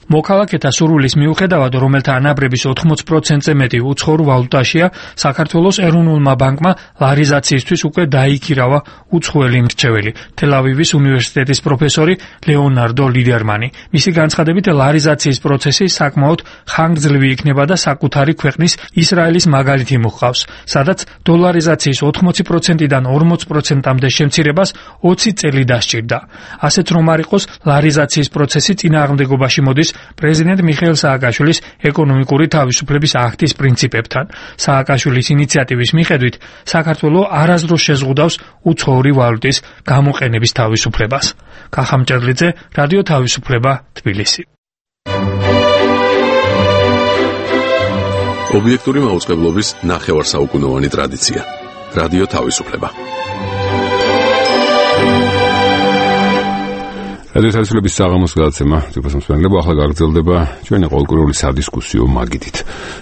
მოქალაქეთა სურვილის მიუხედავად, რომელთა ანაბრების 80%-ზე მეტი უცხოურ ვალუტაშია, საქართველოს ეროვნულმა ბანკმა ლარიზაციისთვის უკვე დაიქირავა უცხოელი მრჩეველი, თელ-ავივის უნივერსიტეტის პროფესორი ლეონარდო ლიდერმანი. მისი განცხადებით, ლარიზაციის პროცესი საკმაოდ ხანგრძლივი იქნება და საკუთარი ქვეყნის ისრაელის მაგალითი მოჰყავს, სადაც დოლარიზაციის 80%-დან 40%-მდე შემცირებას 20 წელი დასჭირდა. ასეც რომ არ იყოს, ლარიზაციის პროცესი წინააღმდეგობაში მოდის პრეზიდენტ მიხეილ სააკაშვილის ეკონომიკური თავისუფლების აქტის პრინციპებთან. სააკაშვილის ინიციატივის მიხედვით, საქართველო არასდროს შეზღუდავს უცხოური ვალუტის გამოყენების თავისუფლებას. კახა მჭერლიძე, რადიო თავისუფლება, თბილისი. ობიექტური მაუწყებლობის ნახევარსაუკუნოვანი ტრადიცია. რადიო თავისუფლება. რადიო თავისუფლების საღამოს გადაცემა თვითმსმენელებო ახლა გაგრძელდება ჩვენი ყოველკვირეული სადისკუსიო მაგიდით.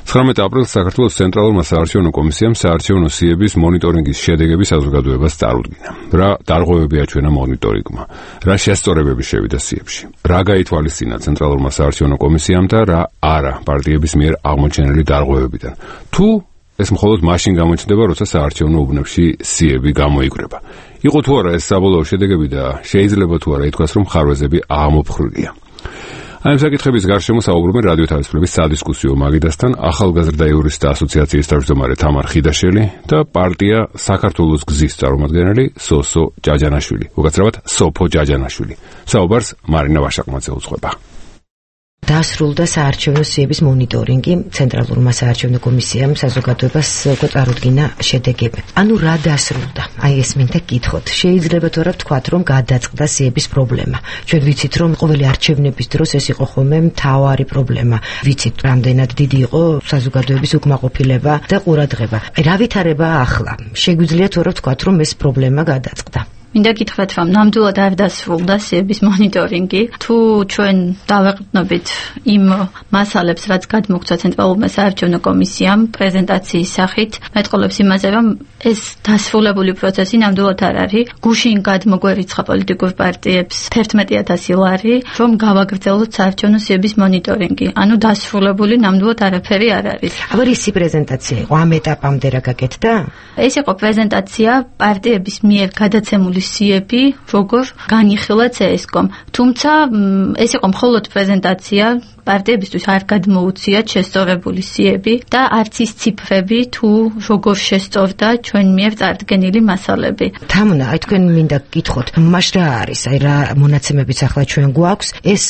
19 აპრილს საქართველოს ცენტრალურმა საარჩევნო კომისიამ საარჩევნო სიების მონიტორინგის შედეგების საზოგადოებას წარუდგინა. რა დარღვევები აჩვენა მონიტორინგმა? რა შესწორებები შევიდა სიებში? რა გაითვალისწინა ცენტრალურმა საარჩევნო კომისიამ და რა არა პარტიების მიერ აღმოჩენილი დარღვევებიდან? თუ ეს მხოლოდ მაშინ გამოჩნდება, როცა საარჩევნო უბნებში სიები გამოიკვრება. იყო თუ არა ეს საბოლოო შედეგები და შეიძლება თუ არა ითქვას, რომ ხარვეზები აღმოფხრულია. ამ საკითხების გარშემო საუბრობენ რადიო თავისუფლების სადისკუსიო მაგიდასთან ახალგაზრდა იურისტთა ასოციაციის თავმჯდომარე თამარ ხიდაშელი და პარტია საქართველოს გზის წარმომადგენელი სოსო ჯაჯანაშვილი, უკაცრავად სოფო ჯაჯანაშვილი. საუბარს მარინა ვაშაკმაძე უძღვება. დასრულდა საარჩევნო სიების მონიტორინგი, ცენტრალურმა საარჩევნო კომისიამ საზოგადოებას უკვე წარუდგინა შედეგები. ანუ რა დასრულდა? აი ეს მინდა გითხოთ. შეიძლება თუ არა ვთქვათ, რომ გადაწყდა სიების პრობლემა. ჩვენ ვიცით, რომ ყოველი არჩევნების დროს ეს იყო ხოლმე მთავარი პრობლემა. ვიცით, რამდენად დიდი იყო საზოგადოების უკმაყოფილება და ყურადღება. რა ვითარებაა ახლა? შეგვიძლია თუ არა ვთქვათ, რომ ეს პრობლემა გადაწყდა? მინდა გითხრათ, რომ ნამდვილად არ დასრულდა სიების მონიტორინგი. თუ ჩვენ დავეყრდნობით იმ მასალებს, რაც გადმოგცა ცენტრალურმა საარჩევნო კომისიამ პრეზენტაციის სახით, მეტყოლებს იმაზე, რომ ეს დასრულებული პროცესი ნამდვილად არ არის. გუშინ გადმოგვერიცხა პოლიტიკურ პარტიებს 11,000 ლარი, რომ გავაგრძელოთ საარჩევნო სიების მონიტორინგი. ანუ დასრულებული ნამდვილად არაფერი არ არის. აბა ისი პრეზენტაცია იყო? ამ ეტაპამდე რა გაკეთდა? ეს იყო პრეზენტაცია პარტიების მიერ გადაცემული სიები, როგორ განიხილა CSKOM. თუმცა ეს იყო მხოლოდ პრეზენტაცია, პარტიებისთვის არ გადმოუციათ შესწორებული სიები და არც ის ციფრები თუ როგორ შესწორდა ჩვენ მიერ წარდგენილი მასალები. თამუნა, აი თქვენ მინდა გითხოთ, მაშ რა არის? აი რა მონაცემებიც ახლა ჩვენ გვაქვს, ეს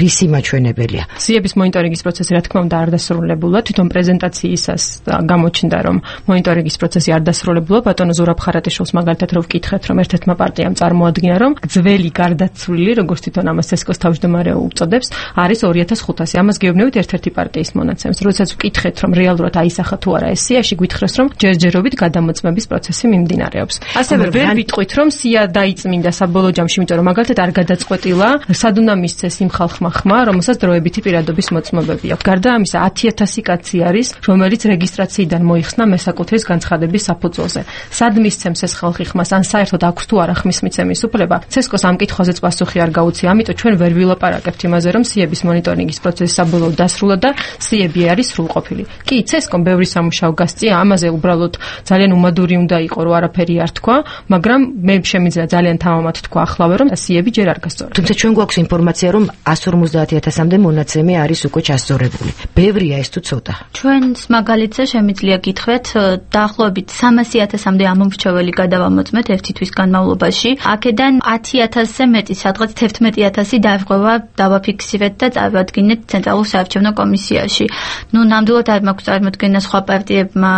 რისი მაჩვენებელია? სიების მონიტორინგის პროცესი რა თქმა უნდა არ დასრულებულა, თვითონ პრეზენტაციისას გამოჩნდა, რომ მონიტორინგის პროცესი არ დასრულებულა. ბატონო ზურაბ ხარატიშვილს მაგალითად რო ვკითხეთ, რომ ერთ-ერთმა პარტიამ წარმოადგინა, რომ ძველი გარდაცვლილი, როგორც თვითონ ამას CSKOS თავმჯდომარე უწოდებს, არის 2500. ამას გეუბნებით ერთ-ერთი პარტიის მონაცემს. როდესაც ვკითხეთ, რომ რეალურად აისახა თუ არა ეს სიაში, გვითხრეს, რომ ჯერჯერობით გადამოწმების პროცესი მიმდინარეობს. ასევე ვერ ვიტყვით, რომ სია დაიწმინდა საბოლოო ჯამში, იმიტომ რომ მაგალითად არ გადაწყვეტილა, სად უნდა მისცეს იმ ხალხმა ხმა, რომელსაც დროებითი პირადობის მოწმობები აქვს. გარდა ამისა, 10,000 კაცი არის, რომელიც რეგისტრაციიდან მოიხსნა მესაკუთრის განცხადების საფუძველზე. სად მისცემს ეს ხალხი ხმას, ან საერთოდ აქვს თუ არა ხმის მიცემის უფლება? CSKOS ამ კითხვაზეც პასუხი არ გაუწია, ამიტომ ჩვენ ვერ ვილაპარაკებთ იმაზე, რომ სიების მონიტორინგის პროცესი საბოლოოდ დასრულდა და სიები არის სრულყოფილი. კი, CSKOM ბევრი სამუშაო გასწია, ამაზე უბრალოდ ძალიან უმადური უნდა იყო, რომ არაფერი არ თქვა, მაგრამ მე შემიძლია ძალიან თამამად თქვა ახლავე, რომ სიები ჯერ არ გასწორდა. თუმცა ჩვენ გვაქვს ინფორმაცია, რომ 150,000-მდე მონაცემი არის უკვე ჩასწორებული. ბევრია ეს თუ ცოტა? ჩვენს მაგალითზე შემიძლია გითხრათ, დაახლოებით 300,000-მდე ამომრჩეველი გადავამოწმეთ ერთი თვის განმავლობაში. აქედან 10,000-ზე მეტი, სადღაც 11,000 დარღვევა დავაფიქსირეთ და წავადგინეთ ცენტრალურ საარჩევნო კომისიაში. ნუ ნამდვილად არ მაქვს წარმოდგენა სხვა პარტიებმა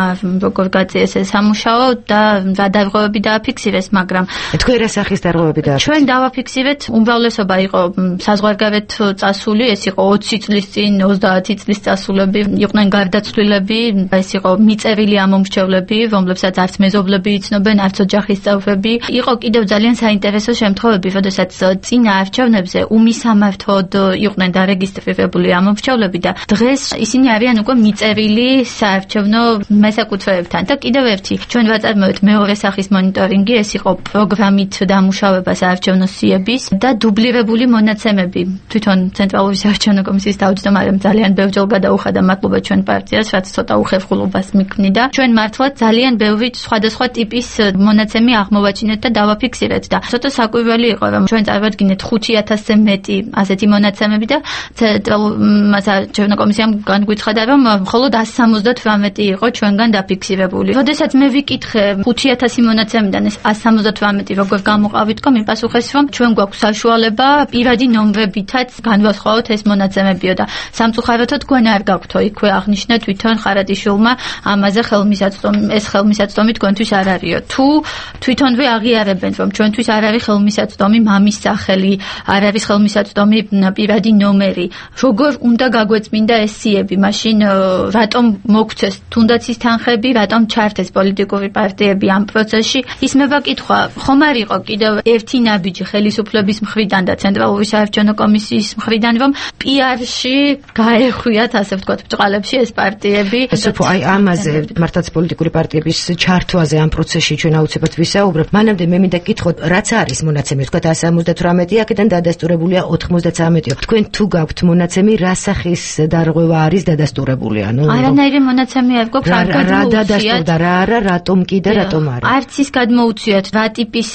როგორ გაწიეს ეს სამუშაო და რა დარღვევები დააფიქსირეს, მაგრამ თქვენ რა სახის დარღვევები დააფიქსირეთ? ჩვენ დავაფიქსირეთ, უმრავლესობა იყო საზღვარგარეთ წასული, ეს იყო 20 წლის წინ, 30 წლის წასულები, იყვნენ გარდაცვლილები, ეს იყო მიწერილი ამომრჩევლები, რომლებსაც არც მეზობლები იცნობენ, არც ოჯახის წევრები. იყო კიდევ ძალიან საინტერესო შემთხვევები, როდესაც წინა არჩევნებზე უმისამართოდ იყვნენ დარეგისტრირებული ამომრჩევლები და დღეს ისინი არიან უკვე მიწერილი საარჩევნო მესაკუთრეებთან. და კიდევ ერთი, ჩვენ ვაწარმოებთ მეორე სახის მონიტორინგი, ეს იყო პროგრამით დამუშავება საარჩევნო სიების და დუბლირებული მონაცემები. თვითონ ცენტრალური საარჩევნო კომისიის თავმჯდომარემ ძალიან ბევრჯერ გადაუხადა მადლობა ჩვენ პარტიას, რაც ცოტა უხერხულობას მიქმნიდა. ჩვენ მართლაც ძალიან ბევრი სხვადასხვა ტიპის მონაცემი აღმოვაჩინეთ და დავაფიქსირეთ და ცოტა საკვირველი იყო, რომ ჩვენ წარვადგინეთ 5,000-ზე მეტი ასეთი მონაცემები და ცენტრალურმა საარჩევნო კომისიამ განგვიცხადა, რომ მხოლოდ 178 იყო ჩვენგან დაფიქსირებული. როდესაც მე ვიკითხე 5,000 მონაცემიდან ეს 178 როგორ გამოყავით, მიპასუხეს, რომ ჩვენ გვაქვს საშუალება პირადი ნომრებითაც განვასხვაოთ ეს მონაცემებიო და სამწუხაროდ თქვენ არ გაქვთო, იქვე აღნიშნა თვითონ ხარატიშვილმა ამაზე ხელმისაწვდომი თქვენთვის არ არისო. თუ თვითონვე აღიარებენ, რომ ჩვენთვის არ არის ხელმისაწვდომი მამის სახელი, არ არის ხელმისაწვდომი პირადი ნომერი, როგორ უნდა გაგვეწმინდა ეს სიები, მაშინ რატომ მოგცეს თუნდაც ის თანხები, რატომ ჩართეს პოლიტიკური პარტიები ამ პროცესში? ისმება კითხვა, ხომ არ იყო კიდევ ერთი ნაბიჯი ხელისუფლების მხრიდან და ცენტრალური საარჩევნო კომისიის მხრიდან, რომ PR-ში გაეხვიათ, ასე ვთქვათ, ბჭყალებში ეს პარტიები. აი ამაზე მართლაც პოლიტიკური პარტიების ჩართვაზე ამ პროცესში ჩვენ აუცილებლად ვისაუბრებთ. მანამდე მე მინდა გითხოთ, რაც არის მონაცემი, ვთქვათ 178, აქედან დადასტურებულია 93-ო. თქვენ თუ გაქვთ მონაცემი, რა სახის დარღვევა არის დადასტურებული? არანაირი მონაცემი არ გვაქვს, არ გადმოუციათ. რა არა, რატომ კი და რატომ არა? არც ის გადმოუციათ, რა ტიპის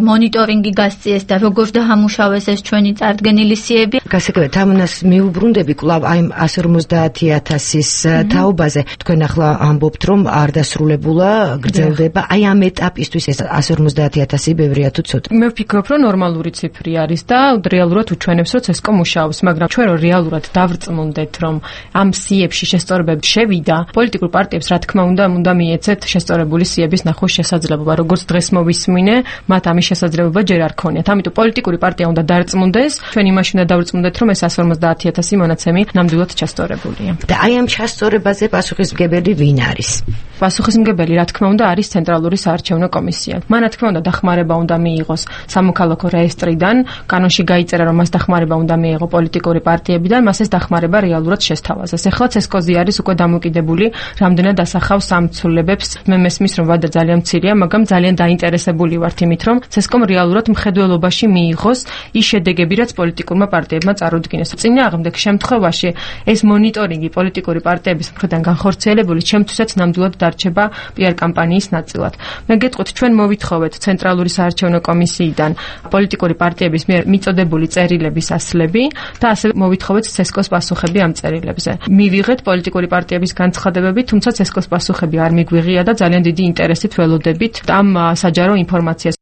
მონიტორინგი გასწიეს და როგორ დაამუშავეს ეს ჩვენი წარდგენილი სიები. გასაგებია, თამუნას მიუბრუნდები კვლავ აი 150,000-ის თაობაზე. თქვენ ახლა ამბობთ, რომ არ დასრულებულა, გრძელდება. აი ამ ეტაპისთვის ეს 150,000 ბევრია თუ ცოტა? მე ვფიქრობ, რომ ნორმალური ციფრი არის და რეალურად უჩვენებს, რომ CSKOM მუშაობს, მაგრამ ჩვენ რომ რეალურად რეალურად დავრწმუნდეთ, რომ ამ სიებში შესწორებები შევიდა, პოლიტიკურ პარტიებს რა თქმა უნდა მიეცეთ შესწორებული სიების ნახვის შესაძლებლობა, როგორც დღეს მოვისმინე, მათ ამის შესაძლებლობა ჯერ არ ქონიათ. ამიტომ პოლიტიკური პარტია უნდა დარწმუნდეს, ჩვენ იმაში უნდა დავრწმუნდეთ, რომ ეს 150,000 მონაცემი ნამდვილად ჩასწორებულია. და აი ამ ჩასწორებაზე პასუხისმგებელი ვინ არის? პასუხისმგებელი, რა თქმა უნდა, არის ცენტრალური საარჩევნო კომისია. მან რა თქმა უნდა დახმარება უნდა მიიღოს სამოქალაქო რეესტრიდან, კანონში გაიწერა, რომ მას დახმარება უნდა მიიღო პოლიტიკური პარტიებიდან, მას ეს დახმარება რეალურად შესთავაზეს. ეხლა ცესკოზი არის უკვე დამოკიდებული, რამდენად ასახავს ამ ცვლილებებს. მე მესმის, რომ ვადა ძალიან მცირეა, მაგრამ ძალიან დაინტერესებული ვართ იმით, რომ ცესკომ რეალურად მხედველობაში მიიღოს ის შედეგები, რაც პოლიტიკურმა პარტიებმა წარუდგინეს. წინააღმდეგ შემთხვევაში ეს მონიტორინგი პოლიტიკური პარტიების მხრიდან განხორციელებული ჩემთვისაც ნამდვილად დარჩება PR კამპანიის ნაწილად. მე გეტყვით, ჩვენ მოვითხოვეთ ცენტრალური საარჩევნო კომისიიდან პოლიტიკური პარტიების მიერ მიწოდებული წერილების ასლები და ასევე მოვითხოვეთ ცესკოს პასუხები ამ წერილებზე. მივიღეთ პოლიტიკური პარტიების განცხადებები, თუმცა ცესკოს პასუხები არ მიგვიღია და ძალიან დიდი ინტერესით ველოდებით ამ საჯარო ინფორმაციას.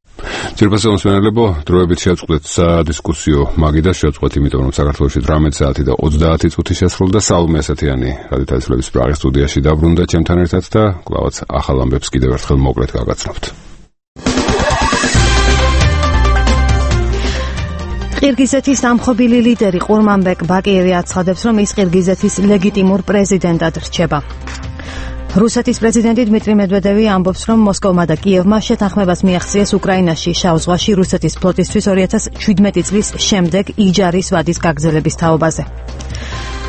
ძირფასი მოსმენელებო, დროებით შეაწყვეტეთ სადისკუსიო მაგიდას შეაწყვეტ, იმიტომ რომ საქართველოში 18 საათი და 30 წუთი შესრულდა. სალომე ასათიანი რადიო თასლების პრაღის სტუდიაში დაბრუნდა ჩემთან ერთად და კვლავაც ახალ ამბებს კიდევ ერთხელ მოკლედ გაგაცნობთ. ყირგიზეთის დამხობილი ლიდერი ყურმანბეკ ბაკიევი აცხადებს, რომ ის ყირგიზეთის ლეგიტიმურ პრეზიდენტად რჩება. რუსეთის პრეზიდენტი დმიტრი მედვედევი ამბობს, რომ მოსკოვმა და კიევმა შეთანხმებას მიაღწიეს უკრაინაში შავ ზღვაში რუსეთის ფლოტისთვის 2017 წლის შემდეგ იჯარის ვადის გაგრძელების თაობაზე.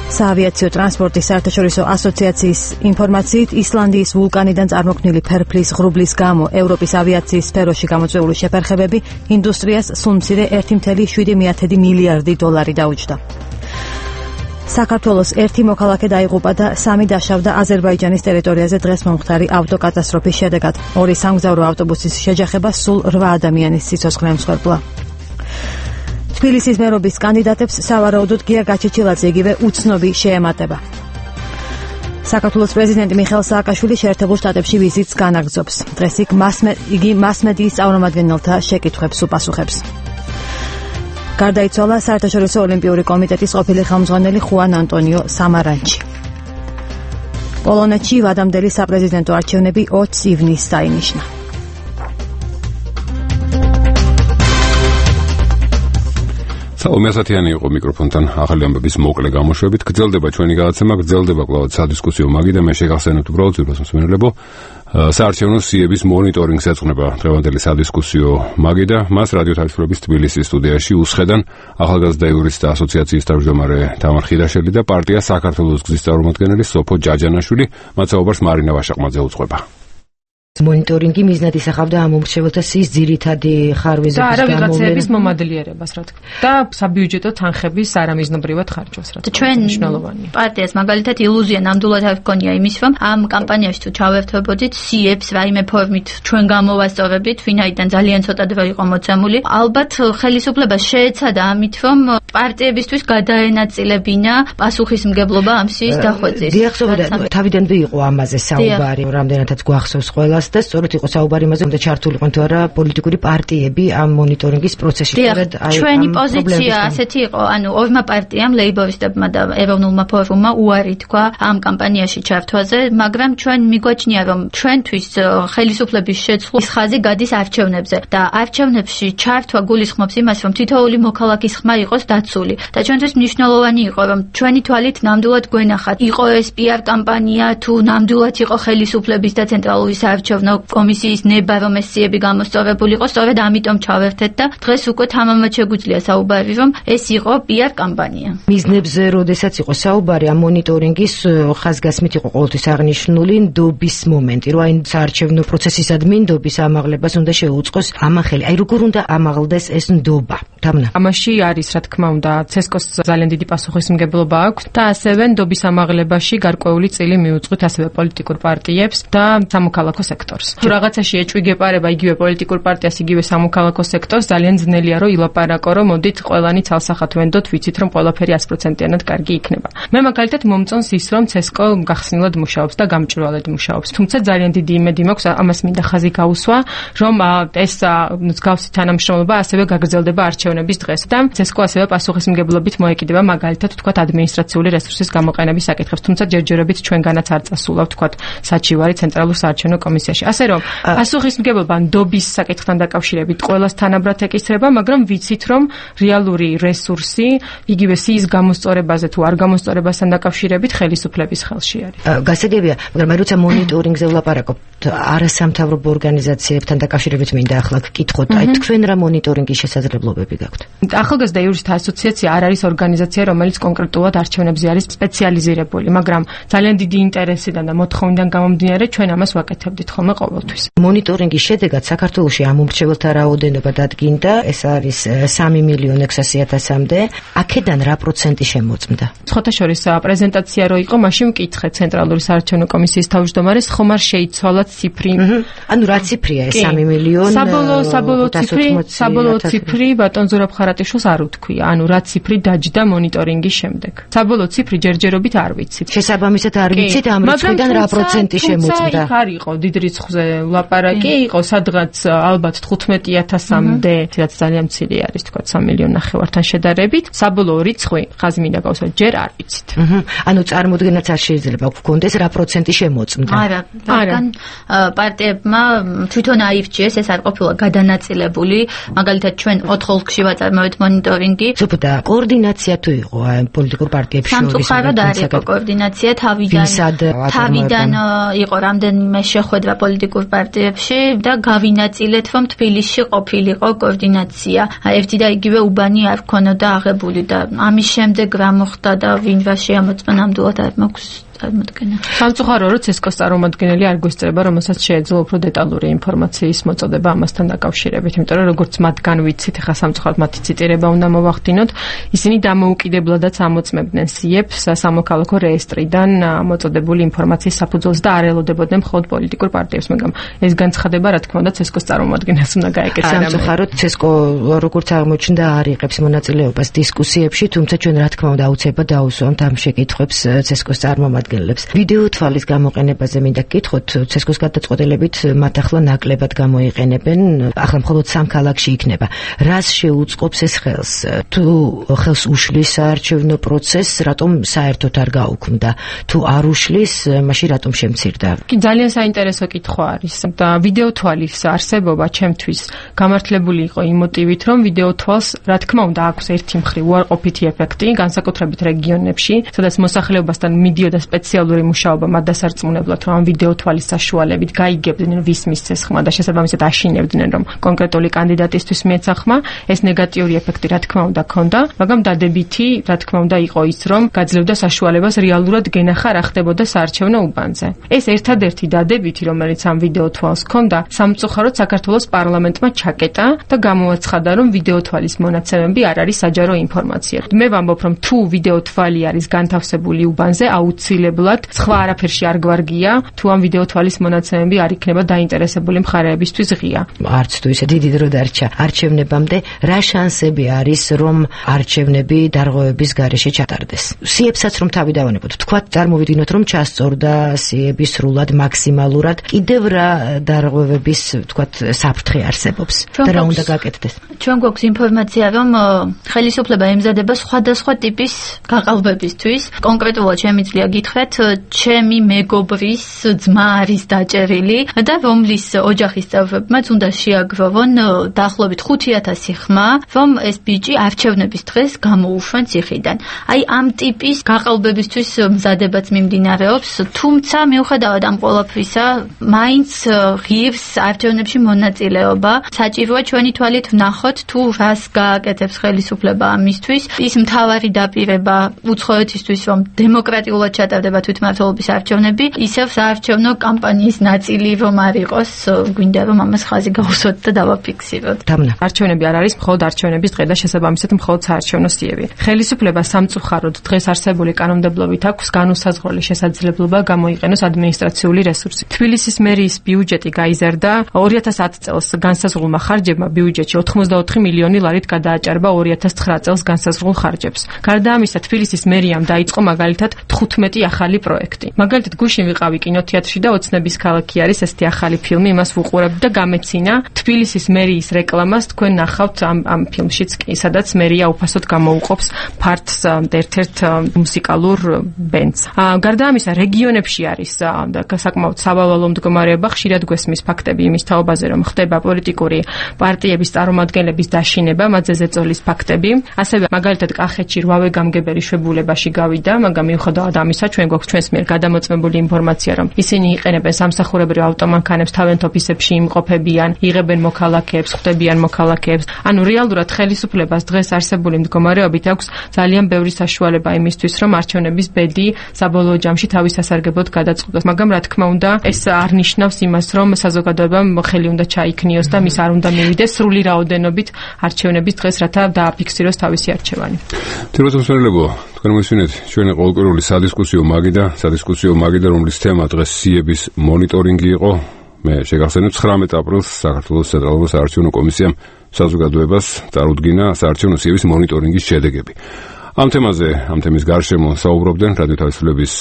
საავიაციო ტრანსპორტის საერთაშორისო ასოციაციის ინფორმაციით, ისლანდიის ვულკანიდან წარმოქმნილი ფერფლის ღრუბლის გამო ევროპის ავიაციის სფეროში გამოწვეული შეფერხებები ინდუსტრიას სულ მცირე 1,7 მილიარდი დოლარი დაუჯდა. საქართველოს ერთი მოქალაქე დაიღუპა და 3 დაშავდა აზერბაიჯანის ტერიტორიაზე დღეს მომხდარი ავტოკატასტროფის შედეგად. 2 სამგზავრო ავტობუსის შეჯახება სულ 8 ადამიანის სიცოცხლე ემსხვერპლა. თბილისის მერობის კანდიდატებს სავარაუდოდ გია გაჩეჩილაძე იგივე უცნობი შეემატება. საქართველოს პრეზიდენტი მიხეილ სააკაშვილი შეერთებულ შტატებში ვიზიტს განაგრძობს. დღეს იგი მასმედიის წარმომადგენელთა შეკითხვებს უპასუხებს. გარდაიცვალა საერთაშორისო ოლიმპიური კომიტეტის ყოფილი ხელმძღვანელი ხუან ანტონიო სამარანჩი. პოლონეთში ვადამდელი საპრეზიდენტო არჩევნები 20 ივნისს დაინიშნა. სალომე ასათიანი იყო მიკროფონთან ახალი ამბების მოკლე გამოშვებით. გრძელდება ჩვენი გადაცემა, გრძელდება კვლავ სადისკუსიო მაგიდა. მე შეგახსენებთ უბრალოდ ძირფას მოსმენელებო, საარჩევნო სიების მონიტორინგს ეძღვნება დღევანდელი სადისკუსიო მაგიდა. მას რადიო თარგმნების თბილისის სტუდიაში უსხედან ახალგაზრდა იურისტთა ასოციაციის თავმჯდომარე თამარ ხიდაშელი და პარტია საქართველოს გზის წარმომადგენელი სოფო ჯაჯანაშვილი. მათ საუბარს მარინა ვაშაყმაძე უძღვება. მონიტორინგი მიზნად ისახავდა ამ უმრჩეველთა სიის ძირითადი ხარვეზების და არავიღაცების მომადლიერებას, რა თქმა უნდა, და საბიუჯეტო თანხების არამიზნობრივად ხარჯვას, რა თქმა უნდა, მნიშვნელოვანია. პარტიას მაგალითად ილუზია ნამდვილად არ ჰქონია იმის, რომ ამ კამპანიაში თუ ჩავერთვებოდით სიებს რაიმე ფორმით ჩვენ გამოვასწორებდით, ვინაიდან ძალიან ცოტა დრო იყო მოცემული. ალბათ ხელისუფლებას შეეცადა ამით, რომ პარტიებისთვის გადაენაწილებინა პასუხისმგებლობა ამ სიის დახვეწის. დიახსოვდა, თავიდანვე იყო ამაზე საუბარი, რამდენადაც გვახსოვს ყველას. და სწორედ იყო საუბარი იმაზე, უნდა ჩართულიყო თუ არა პოლიტიკური პარტიები ამ მონიტორინგის პროცესში. ჩვენი პოზიცია ასეთი იყო, ანუ ორმა პარტიამ, ლეიბორისტებმა და ეროვნულმა ფორუმმა უარი თქვა ამ კამპანიაში ჩართვაზე, მაგრამ ჩვენ მიგვაჩნია, რომ ჩვენთვის ხელისუფლების შეცვლის ხაზი გადის არჩევნებზე და არჩევნებში ჩართვა გულისხმობს იმას, რომ თითოეული მოქალაქის ხმა იყოს დაცული და ჩვენთვის მნიშვნელოვანი იყო, რომ ჩვენი თვალით ნამდვილად გვენახათ, იყო ეს PR კამპანია თუ ნამდვილად იყო ხელისუფლების და ცენტრალური საარჩევნო კომისიის ნება, რომ ეს სიები გამოსწორებული იყო, სწორედ ამიტომ ჩავერთეთ და დღეს უკვე თამამად შეგვიძლია საუბარი, რომ ეს იყო PR კამპანია. მიზნებზე როდესაც იყო საუბარი, ამ მონიტორინგის ხაზგასმით იყო ყოველთვის აღნიშნული ნდობის მომენტი, რომ აი საარჩევნო პროცესისადმი ნდობის ამაღლებას უნდა შეუწყოს ამახელი. აი როგორ უნდა ამაღლდეს ეს ნდობა? თამნა. ამაში არის, რა თქმა უნდა, ცესკოს ძალიან დიდი პასუხისმგებლობა აქვს და ასევე ნდობის ამაღლებაში გარკვეული წილი მიუძღვით ასევე პოლიტიკურ პარტიებს და სამოქალაქო სექტორს. თუ რაღაცაში ეჭვი გეპარება იგივე პოლიტიკურ პარტიას, იგივე სამოქალაქო სექტორს, ძალიან ძნელია რომ ილაპარაკო, რომ მოდით ყველანი ცალსახად ვენდოთ, ვიცით რომ ყველაფერი 100%-იანად კარგი იქნება. მე მაგალითად მომწონს ის, რომ ცესკო გახსნილად მუშაობს და გამჭვირვალედ მუშაობს. თუმცა ძალიან დიდი იმედი მაქვს, ამას მინდა ხაზი გაუსვა, რომ ეს მსგავსი თანამშრომლობა ასევე გაგრძელდება არჩევნებში. არჩევნების დღეს და ცესკო ასევე პასუხისმგებლობით მოეკიდება მაგალითად თქვათ ადმინისტრაციული რესურსის გამოყენების საკითხებს, თუმცა ჯერჯერობით ჩვენგანაც არ წასულა თქვათ საჩივარი ცენტრალურ საარჩევნო კომისიაში. ასე რომ პასუხისმგებლობა ნდობის საკითხთან დაკავშირებით ყველას თანაბრად ეკისრება, მაგრამ ვიცით რომ რეალური რესურსი იგივე სიის გამოსწორებაზე თუ არ გამოსწორებასთან დაკავშირებით ხელისუფლების ხელში არის. გასაგებია, მაგრამ მე როცა მონიტორინგზე ვლაპარაკობთ არასამთავრობო ორგანიზაციებთან დაკავშირებით მინდა ახლა გკითხოთ, აი თქვენ რა მონიტორინგის შესაძლებლობები გაქვთ? ახალგაზრდა იურისტთა ასოციაცია არ არის ორგანიზაცია, რომელიც კონკრეტულად არჩევნებზე არის სპეციალიზირებული, მაგრამ ძალიან დიდი ინტერესიდან და მოთხოვნიდან გამომდინარე ჩვენ ამას ვაკეთებდით ხოლმე ყოველთვის. მონიტორინგის შედეგად საქართველოში ამომრჩეველთა რაოდენობა დადგინდა, ეს არის 3.600.000-მდე. აქედან რა პროცენტი შემოწმდა? ხოთაშორის პრეზენტაცია რო იყო, მაშინ მკითხე ცენტრალური საარჩევნო კომისიის თავმჯდომარეს, ხომ არ შეიცვალა ციფრი? ანუ რა ციფრია ეს 3 მილიონი? საბოლოო ციფრი ბატონ ზურაბ ხარატიშვილს არ უთქვია, ანუ რა ციფრი დაჯდა მონიტორინგის შემდეგ. საბოლოო ციფრი ჯერჯერობით არ ვიცით. შესაბამისად არ ვიცით ამ რიცხვიდან რა პროცენტი შემოწმდა. იქ არ იყო დიდ რიცხვზე ლაპარაკი, იყო სადღაც ალბათ 15.000-მდე, რაც ძალიან მცირე არის, თქვა 3.5 შედარებით. საბოლოო რიცხვი ხაზი მინდა გავუსვა, ჯერ არ ვიცით. ანუ წარმოდგენაც არ შეიძლება გქონდეს რა პროცენტი შემოწმდა. არა, რადგან პარტიებმა თვითონ აირჩიეს, ეს არ ყოფილა გადანაწილებული, მაგალითად ჩვენ 4 ოლქში ვაწარმოეთ მონიტორინგი. ზოგადად კოორდინაცია თუ იყო პოლიტიკურ პარტიებს შორის? სამწუხაროდ არ იყო კოორდინაცია, თავიდან იყო რამდენიმე შეხვედრა პოლიტიკურ პარტიებში და გავინაწილეთ, რომ თბილისში ყოფილიყო კოორდინაცია. ერთი და იგივე უბანი არ ქონოდა აღებული და ამის შემდეგ რა მოხდა და ვინ რა შეამოწმა ნამდვილად არ მაქვს წარმოდგენა. სამწუხარო რომ ცესკოს წარმომადგენელი არ გვესწრება, რომელსაც შეეძლო უფრო დეტალური ინფორმაციის მოწოდება ამასთან დაკავშირებით, იმიტომ რომ როგორც მათგან ვიცით, ახლა სამწუხაროდ მათი ციტირება უნდა მოვახდინოთ, ისინი დამოუკიდებლადაც ამოწმებდნენ სიეფს სამოქალაქო რეესტრიდან მოწოდებული ინფორმაციის საფუძველზე და არ ელოდებოდნენ მხოლოდ პოლიტიკურ პარტიებს, მაგრამ ეს განცხადება რა თქმა უნდა ცესკოს წარმომადგენელს უნდა გაეკეთა. სამწუხაროდ ცესკო როგორც აღმოჩნდა არ იღებს მონაწილეობას დისკუსიებში, თუმცა ჩვენ რა თქმა უნდა აუცილებლად დაუსვამთ ამ შეკითხვებს ცესკოს წარმომადგენლებს. ვიდეო თვალის გამოყენებაზე მინდა გკითხოთ, ცესკოს გადაწყვეტილებით მათ ახლა ნაკლებად გამოიყენებენ, ახლა მხოლოდ 3 ქალაქში იქნება. რას შეუწყობს ეს ხელს? თუ ხელს უშლის საარჩევნო პროცესს, რატომ საერთოდ არ გაუქმდა? თუ არ უშლის, მაშინ რატომ შემცირდა? ძალიან საინტერესო კითხვა არის და ვიდეო თვალის არსებობა ჩემთვის გამართლებული იყო იმ მოტივით, რომ ვიდეო თვალს რა თქმა უნდა აქვს ერთი მხრივ უარყოფითი ეფექტი, განსაკუთრებით რეგიონებში, სადაც მოსახლეობასთან მიდიოდა სპეციალური მუშაობა მათ დასარწმუნებლად, რომ ამ ვიდეო თვალის საშუალებით გაიგებდნენ ვის მისცეს ხმა და შესაბამისად აშინებდნენ, რომ კონკრეტული კანდიდატისთვის მიეცა ხმა, ეს ნეგატიური ეფექტი რა თქმა უნდა ქონდა, მაგრამ დადებითი რა თქმა უნდა იყო ის, რომ გაძლევდა საშუალებას რეალურად გენახა რა ხდებოდა საარჩევნო უბანზე. ეს ერთადერთი დადებითი, რომელიც ამ ვიდეო თვალს ქონდა, სამწუხაროდ საქართველოს პარლამენტმა ჩაკეტა და გამოაცხადა, რომ ვიდეო თვალის მონაცემები არ არის საჯარო ინფორმაცია. მე ვამბობ, რომ თუ ვიდეო თვალი არის განთავსებული უბანზე, აუცილებლად სხვა არაფერში არ გვარგია, თუ ამ ვიდეო თვალის მონაცემები არ იქნება დაინტერესებული მხარეებისთვის ღია. არც თუ ისე დიდი დრო დარჩა არჩევნებამდე, რა შანსები არის, რომ არჩევნები დარღვევების გარეშე ჩატარდეს? სიებსაც რომ თავი დავანებოთ, თქვა წარმოვიდგინოთ, რომ ჩასწორდა სიები სრულად მაქსიმალურად, კიდევ რა დარღვევების, თქვა, საფრთხე არსებობს და რა უნდა გაკეთდეს? ჩვენ გვაქვს ინფორმაცია, რომ ხელისუფლება ემზადება სხვადასხვა ტიპის გაყალბებისთვის. კონკრეტულად შემიძლია გითხრათ, ჩემი მეგობრის ძმა არის დაჭერილი და რომლის ოჯახის წევრებმაც უნდა შეაგროვონ დაახლოებით 5,000 ხმა, რომ ეს ბიჭი არჩევნების დღეს გამოუშვენ ციხიდან. აი ამ ტიპის გაყალბებისთვის მზადებაც მიმდინარეობს, თუმცა მიუხედავად ამ ყველაფრისა, მაინც ღირს არჩევნებში მონაწილეობა. საჭიროა ჩვენი თვალით ვნახოთ, თუ რას გააკეთებს ხელისუფლება ამისთვის. ის მთავარი დაპირება უცხოეთისთვის, რომ დემოკრატიულად ჩატარდება თვითმმართველობის არჩევნები, ისევ საარჩევნო კამპანიის ნაწილი რომ არ იყოს, გვინდა რომ ამას ხაზი გავუსვათ და დავაფიქსიროთ. არჩევნები არ არის მხოლოდ არჩევნების დღე და შესაბამისად მხოლოდ საარჩევნო სიები. ხელისუფლება სამწუხაროდ დღეს არსებული კანონმდებლობით აქვს განუსაზღვრელი შესაძლებლობა გამოიყენოს ადმინისტრაციული რესურსი. თბილისის მერიის ბიუჯეტი გაიზარდა 2010 წელს განსაზღვრულმა ხარჯებმა ბიუჯეტში 84 მილიონი ლარით გადააჭარბა 2009 წელს განსაზღვრულ ხარჯებს. გარდა ამისა, თბილისის მერიამ დაიწყო მაგალითად 15 ახალი პროექტი. მაგალითად, გუშინ ვიყავი კინოთეატრში და ოცნების ქალაქი არის ესეთი ახალი ფილმი, იმას ვუყურებდი და გამეცინა თბილისის მერიის რეკლამას თქვენ ნახავთ ამ ფილმშიც კი, სადაც მერია უფასოდ გამოუყოფს ფართს ერთ-ერთ მუსიკალურ ბენდს. გარდა ამისა, რეგიონებში არის საკმაოდ სავალალო მდგომარეობა, ხშირად გვესმის ფაქტები იმის თაობაზე, რომ ხდება პოლიტიკური პარტიების წარმომადგენლების დაშინება, მათზე ზეწოლის ფაქტები. ასევე მაგალითად კახეთში 8 გამგებელი შვებულებაში გავიდა, მაგრამ მიუხედავად ამისა, ჩვენ გვაქვს ჩვენს მიერ გადამოწმებული ინფორმაცია, რომ ისინი იყენებენ სამსახურებრივ ავტომანქანებს, თავენთ ოფისებში იმყოფებიან, იღებენ მოქალაქეებს, ხვდებიან მოქალაქეებს. ანუ რეალურად ხელისუფლებას დღეს არსებული მდგომარეობით აქვს ძალიან ბევრი საშუალება იმისთვის, რომ არჩევნების ბედი საბოლოო ჯამში თავის სასარგებლოდ გადაწყდეს. მაგრამ რა თქმა უნდა, ეს არ ნიშნავს იმას, რომ საზოგადოებამ ხელი უნდა ჩაიქნიოს და მის არ უნდა მივიდეს სრული რაოდენობით არჩევნების დღეს, რათა დააფიქსიროს თავისი არჩევანი. თიროსმსმენელებო, თქვენ მისვენეთ ჩვენი ყოველკვირეული სადისკუსიო მაგიდა, რომლის თემა დღეს სიების მონიტორინგი იყო. მე შეგახსენებ 19 აპრილს საქართველოს ცენტრალურ საარჩევნო კომისიამ საზოგადოებას წარუდგინა საარჩევნო სიების მონიტორინგის შედეგები. ამ თემის გარშემო საუბრობდნენ რადიო თავისუფლების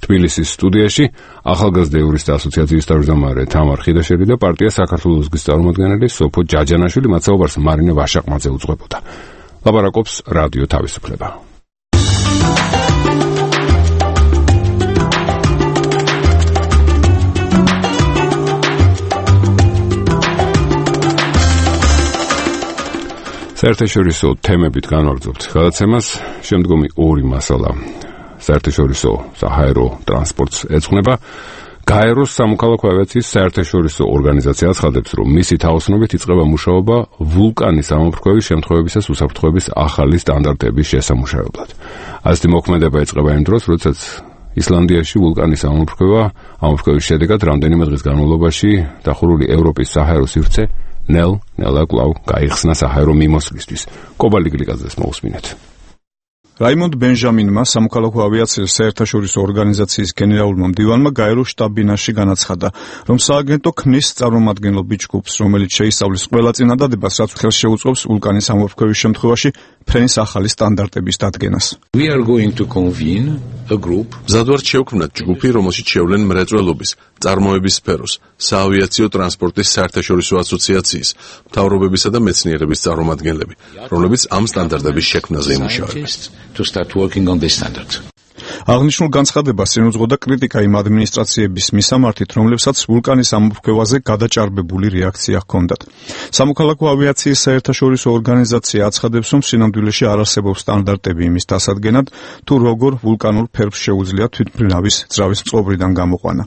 თბილისის სტუდიაში ახალგაზრდა იურისტთა ასოციაციის თავმჯდომარე თამარ ხიდაშელი და პარტია საქართველოს-ის წარმომადგენელი სოფო ჯაჯანაშვილი, მათ საუბარს მარინე ვაშაყმაძე უძღვებოდა. ლაპარაკობს რადიო თავისუფლება. საერთაშორისო თემებით განვაგრძობთ გადაცემას. შემდგომი ორი მასალა საერთაშორისო საჰაერო ტრანსპორტს ეძღვნება. გაეროს სამოქალაქო ავიაციის საერთაშორისო ორგანიზაცია აცხადებს, რომ მისი თაოსნობით იწყება მუშაობა ვულკანის ამოფრქვევის შემთხვევებისას უსაფრთხოების ახალი სტანდარტების შესამუშავებლად. ასეთი მოქმედება იწყება იმ დროს, როდესაც ისლანდიაში ვულკანის ამოფრქვევის შედეგად რამდენიმე დღის განმავლობაში დახურული ევროპის საჰაერო სივრცე ნელა კვლავ გაიხსნა საჰაერო მიმოსვლისთვის. კობალი გლიკაძეს მოусმინეთ. რაიმონდ ბენჟამინმა სამოქალაქო ავიაციის საერთაშორისო ორგანიზაციის გენერალურმა მდივანმა გაეროს შტაბ-ბინაში განაცხადა, რომ სააგენტო ქმნის წარმომადგენლობითი ჯგუფს, რომელიც შეისწავლის ყველა წინადადებას, რაც ხელს შეუწყობს ვულკანის ამოფრქვევის შემთხვევაში ფრენის ახალი სტანდარტების დადგენას. მზადვართ შევქმნათ ჯგუფი, რომელშიც შევლენ მრეწველობის, წარმოების სფეროს, საავიაციო ტრანსპორტის საერთაშორისო ასოციაციის, მთავრობებისა და მეცნიერების წარმომადგენლები, რომლებიც ამ სტანდარტების შექმნაზე იმუშავებენ. აღნიშნულ განცხადებას ენუძღოდა კრიტიკა იმ ადმინისტრაციების მისამართით, რომლებსაც ვულკანის ამოფრქვევაზე გადაჭარბებული რეაქცია ჰქონდათ. სამოქალაქო ავიაციის საერთაშორისო ორგანიზაცია აცხადებს, რომ სინამდვილეში არ არსებობს სტანდარტები იმის დასადგენად, თუ როგორ ვულკანურ ფერფს შეუძლია თვითმფრინავის ძრავის წყობრიდან გამოყვანა.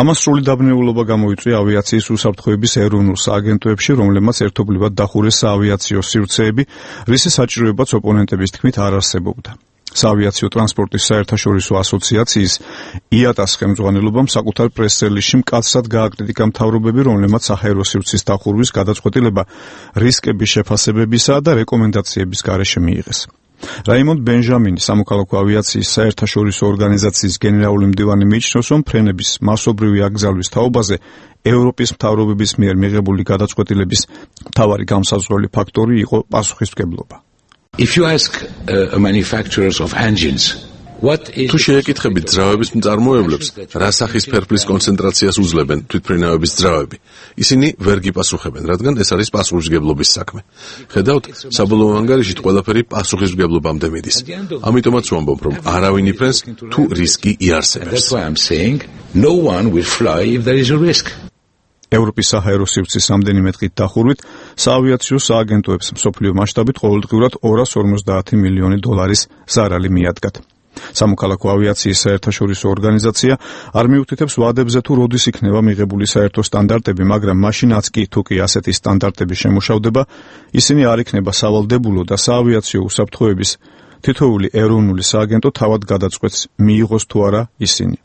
ამას სრული დაბნეულობა გამოიწვია ავიაციის უსაფრთხოების ეროვნულ სააგენტოებში, რომლებმაც ერთობლივად დახურეს საავიაციო სივრცეები, რის საჭიროებაც ოპონენტების თქმით არ არსებობდა. საავიაციო ტრანსპორტის საერთაშორისო ასოციაციის IATA-ს ხელმძღვანელობამ საკუთარ პრეს-რელიზში მკაცრად გააკრიტიკა მთავრობები, რომლებმაც საჰაერო სივრცის დახურვის გადაწყვეტილება რისკების შეფასებებისა და რეკომენდაციების გარეშე მიიღეს. რაიმონდ ბენჟამინი, სამოქალაქო ავიაციის საერთაშორისო ორგანიზაციის გენერალური მდივანი, მიიჩნევს, რომ ფრენების მასობრივი აკრძალვის თაობაზე ევროპის მთავრობების მიერ მიღებული გადაწყვეტილების მთავარი განსაზღვრელი ფაქტორი იყო პასუხისმგებლობა. თუ შეეკითხებით ძრავების მწარმოებლებს, რა სახის ფერფლის კონცენტრაციას უძლებენ თვითმფრინავების ძრავები, ისინი ვერ გიპასუხებენ, რადგან ეს არის პასუხისმგებლობის საქმე. ხედავთ, საბოლოო ანგარიშით ყველაფერი პასუხისმგებლობამდე მიდის. ამიტომაც ვამბობ, რომ არავინ იფრენს, თუ რისკი იარსებებს. ევროპის საჰაერო სივრცის რამდენიმე დღით დახურვით საავიაციო სააგენტოებს მსოფლიო მასშტაბით ყოველდღიურად $250 მილიონი ზარალი მიადგათ. სამოქალაქო ავიაციის საერთაშორისო ორგანიზაცია არ მიუთითებს ვადებზე, თუ როდის იქნება მიღებული საერთო სტანდარტები, მაგრამ მაშინაც კი, თუ კი ასეთი სტანდარტები შემუშავდება, ისინი არ იქნება სავალდებულო და საავიაციო უსაფრთხოების თითოეული ეროვნული სააგენტო თავად გადაწყვეტს, მიიღოს თუ არა ისინი.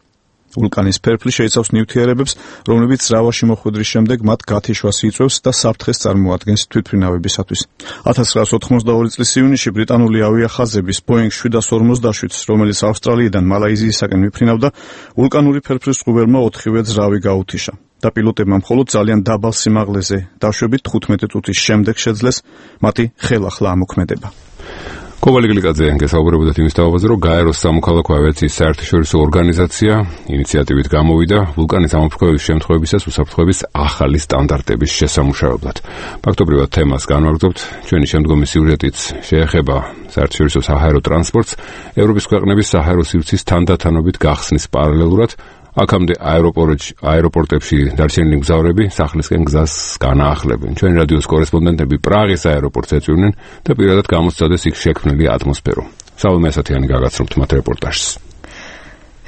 ვულკანის ფერფლი შეიცავს ნივთიერებებს, რომლებიც ძრავაში მოხვედრის შემდეგ მათ გათიშვას იწვევს და საფრთხეს წარმოადგენს თვითმფრინავებისათვის. 1982 წლის ივნისში ბრიტანული ავიახაზების Boeing 747-ს, რომელიც ავსტრალიიდან მალაიზიისაკენ მიფრინავდა, ვულკანური ფერფლის წყუბერმა 4-ვე ძრავი გაუთიშა და პილოტებმა მხოლოდ ძალიან დაბალ სიმაღლეზე დაშვებით 15 წუთის შემდეგ შეძლეს მათი ხელახლა ამოქმედება. კობალი გლიკაძე გესაუბრებოდა იმის თავაზე, რომ გაეროს სამოქალაქო ავიაციის საერთაშორისო ორგანიზაცია ინიციატივით გამოვიდა ვულკანის ამოფრქვევის შემთხვევებისას უსაფრთხოების ახალი სტანდარტების შესამუშავებლად. ფაქტობრივად თემას განვაგრძობთ. ჩვენი შემდგომი სიუჟეტიც შეეხება საერთაშორისო საჰაერო ტრანსპორტს, ევროპის ქვეყნების საჰაერო სივრცის თანდათანობით გახსნის პარალელურად აქამდე აეროპორტებში დარჩენილი მგზავრები სახლისკენ გზას განაახლებენ. ჩვენი რადიოს კორესპონდენტები პრაღის აეროპორტს ეწვივნენ და პირადად გამოსცადეს იქ შექმნილი ატმოსფერო. სალომე ასათიანი გაგაცნობთ მათ რეპორტაჟს.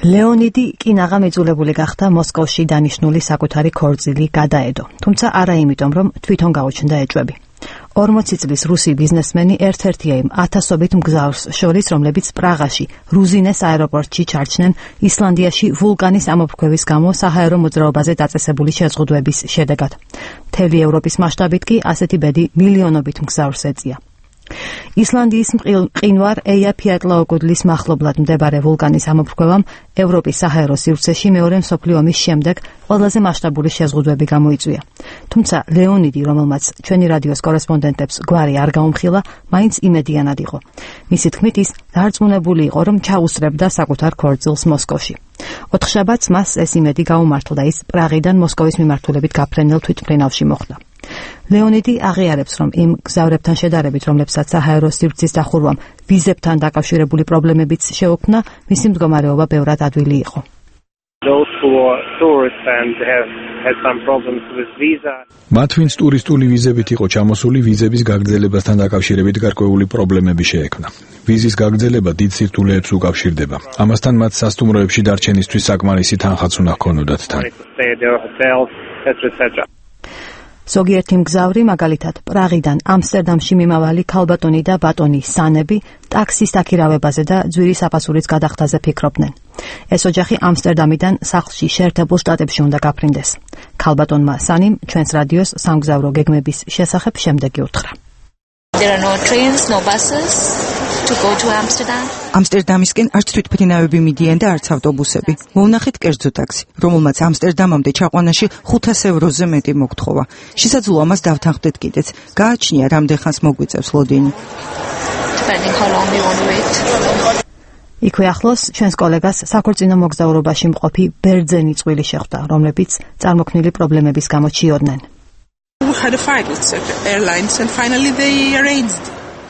ლეონიდი კინაღამ იძულებული გახდა მოსკოვში დანიშნული საკუთარი ქორწილი გადაედო, თუმცა არა იმიტომ, რომ თვითონ გაუჩნდა ეჭვები. 40 წლის რუსი ბიზნესმენი ერთ-ერთია იმ ათასობით მგზავრს შორის, რომლებიც პრაღაში, რუზინეს აეროპორტში ჩარჩნენ ისლანდიაში ვულკანის ამოფრქვევის გამო საჰაერო მოძრაობაზე დაწესებული შეზღუდვების შედეგად. მთელი ევროპის მასშტაბით კი ასეთი ბედი მილიონობით მგზავრს ეწია. ისლანდიის მყინვარ ეიაფიატლაოკუდლის მახლობლად მდებარე ვულკანის ამოფრქვევამ ევროპის საჰაერო სივრცეში მეორე მსოფლიო ომის შემდეგ ყველაზე მასშტაბური შეზღუდვები გამოიწვია. თუმცა ლეონიდი, რომელმაც ჩვენი რადიოს კორესპონდენტებს გვარი არ გაუმხილა, მაინც იმედიანად იყო. მისი თქმით, ის დარწმუნებული იყო, რომ ჩაუსწრებდა საკუთარ ქორწილს მოსკოვში. ოთხშაბათს მას ეს იმედი გაუმართლა და ის პრაღიდან მოსკოვის მიმართულებით გაფრენილ თვითმფრინავში მოხვდა. ლეონიდი აღიარებს, რომ იმ გზავრებთან შედარებით, რომლებსაც საჰაერო სივრცის დახურვამ ვიზებთან დაკავშირებული პრობლემებიც შეუქმნა, მისი მდგომარეობა ბევრად ადვილი იყო. მათ ვინც ტურისტული ვიზებით იყო ჩამოსული, ვიზების გაგრძელებასთან დაკავშირებით გარკვეული პრობლემები შეექმნა. ვიზის გაგრძელება დიდ სირთულეებს უკავშირდება. ამასთან მათ სასტუმროებში დარჩენისთვის საკმარისი თანხაც უნდა ჰქონოდათ თან. ზოგიერთი მგზავრი, მაგალითად, პრაღიდან ამსტერდამში მიმავალი ქალბატონი და ბატონი სანები ტაქსის დაქირავებაზე და ძვირის აფასურის გადახდაზე ფიქრობდნენ. ეს ოჯახი ამსტერდამიდან სახლში შეერთებულ შტატებში უნდა გაფრინდეს. ქალბატონმა სანიმ ჩვენს რადიოს სამგზავრო გეგმების შესახებ შემდეგი უთხრა. There are no trains, no buses to go to Amsterdam. ამსტერდამისკენ არც თვითმფრინავები მიდიან და არც ავტობუსები. მოვნახეთ კერძო ტაქსი, რომელმაც ამსტერდამამდე ჩაყვანაში 500 ევროზე მეტი მოგთხოვა. შესაძლოა ამას დავთანხმდეთ კიდეც. გააჩნია რამდენ ხანს მოგვიწევს ლოდინი. იქვე ახლოს ჩვენს კოლეგას საქორწინო მოგზაურობაში მყოფი ბერძენი წყვილი შეხვდა, რომლებიც წარმოქმნილი პრობლემების გამო ჩიოდნენ.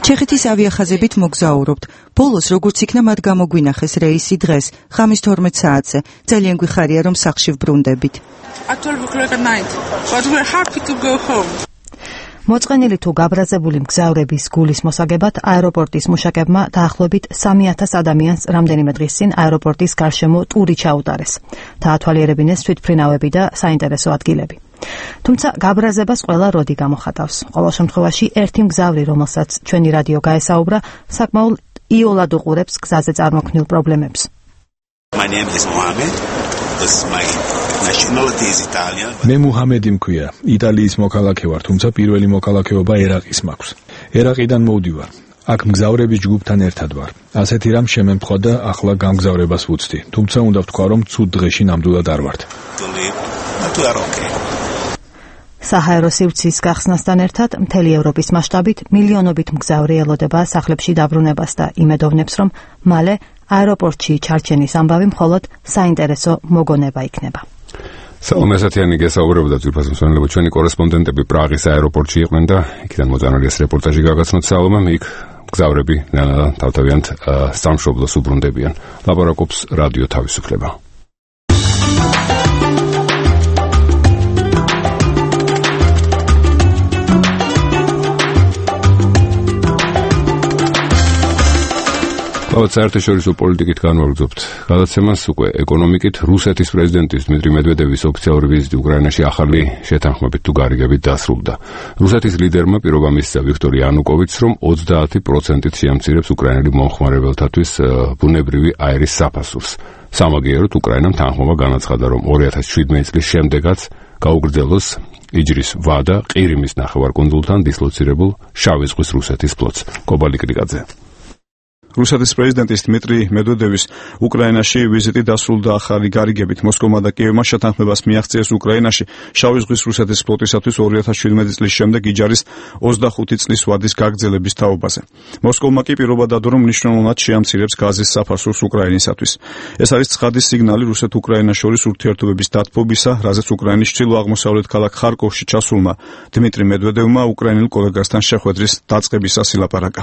ჩეხეთის ავიახაზებით მოგზაურობთ. ბოლოს როგორც იქნა მათ გამოგვინახეს რეისი დღეს, ღამის 12 საათზე. ძალიან გვიხარია, რომ სახლში ვბრუნდებით. მოწყენილი თუ გაბრაზებული მგზავრების გულის მოსაგებად აეროპორტის მუშაკებმა დაახლოებით 3000 ადამიანს რამდენიმე დღის წინ აეროპორტის გარშემო ტური ჩაუტარეს. დაათვალიერებინეს თვითმფრინავები და საინტერესო ადგილები. თუმცა გაბრაზებას ყველა როდი გამოხატავს. ყოველ შემთხვევაში ერთი მგზავრი, რომელსაც ჩვენი რადიო გაესაუბრა, საკმაოდ იოლად უყურებს გზაზე წარმოქმნილ პრობლემებს. My name is Mohammed. My nationality is Italian. მე მუჰამედი მქვია. იტალიის მოქალაქე ვარ, თუმცა პირველი მოქალაქეობა ერაყის მაქვს. ერაყიდან მოვდივარ. აქ მგზავრების ჯგუფთან ერთად ვარ. ასეთი რამ შემემთხვა და ახლა გამგზავრებას ვუცდი. თუმცა უნდა ვთქვა, რომ ცუდ დღეში ნამდვილად არ ვართ. საჰაერო სივრცის გახსნასთან ერთად მთელი ევროპის მასშტაბით მილიონობით მგზავრი ელოდება სახლებში დაბრუნებას და იმედოვნებს, რომ მალე აეროპორტში ჩარჩენის ამბავი მხოლოდ საინტერესო მოგონება იქნება. სალომე ასათიანი გესაუბრებოდა ძვირფას მსმენელებო, ჩვენი კორესპონდენტები პრაღის აეროპორტში იყვნენ და იქიდან მოწანილი ეს რეპორტაჟი გაგაცნოთ სალომემ. იქ მგზავრები თავთავიანთ სამშობლოს უბრუნდებიან. ლაპარაკობს რადიო თავისუფლება. საერთაშორისო პოლიტიკით განვაგრძობთ გადაცემას უკვე ეკონომიკით. რუსეთის პრეზიდენტის დმიტრი მედვედევის ოფიციალური ვიზიტი უკრაინაში ახალი შეთანხმებით თუ გარიგებით დასრულდა. რუსეთის ლიდერმა პირობა მისცა ვიქტორ იანუკოვიჩს, რომ 30%-ით შეამცირებს უკრაინელი მომხმარებელთათვის ბუნებრივი აირის საფასურს. სამაგიეროდ უკრაინამ თანხმობა განაცხადა, რომ 2017 წლის შემდეგაც გაუგრძელოს იჯრის ვადა ყირიმის ნახევარკუნძულთან დისლოცირებულ შავი ზღვის რუსეთის ფლოტს. კობალი კრიკაძე. რუსეთის პრეზიდენტის დმიტრი მედვედევის უკრაინაში ვიზიტი დასრულდა ახალი გარიგებით. მოსკოვმა და კიევმა შეთანხმებას მიაღწიეს უკრაინაში შავი ზღვის რუსეთის ფლოტისათვის 2017 წლის შემდეგ იჯარის 25 წლის ვადის გაგრძელების თაობაზე. მოსკოვმა კი პირობა დადო, რომ მნიშვნელოვნად შეამცირებს გაზის საფარსურს უკრაინისათვის. ეს არის ცხადი სიგნალი რუსეთ-უკრაინას შორის ურთიერთობების დათბობისა, რაზეც უკრაინის ჩრდილო-აღმოსავლეთ ქალაქ ხარკოვში ჩასულმა დმიტრი მედვედევმა უკრაინელ კოლეგასთან შეხვედრის დაწყებისას ილაპარაკა.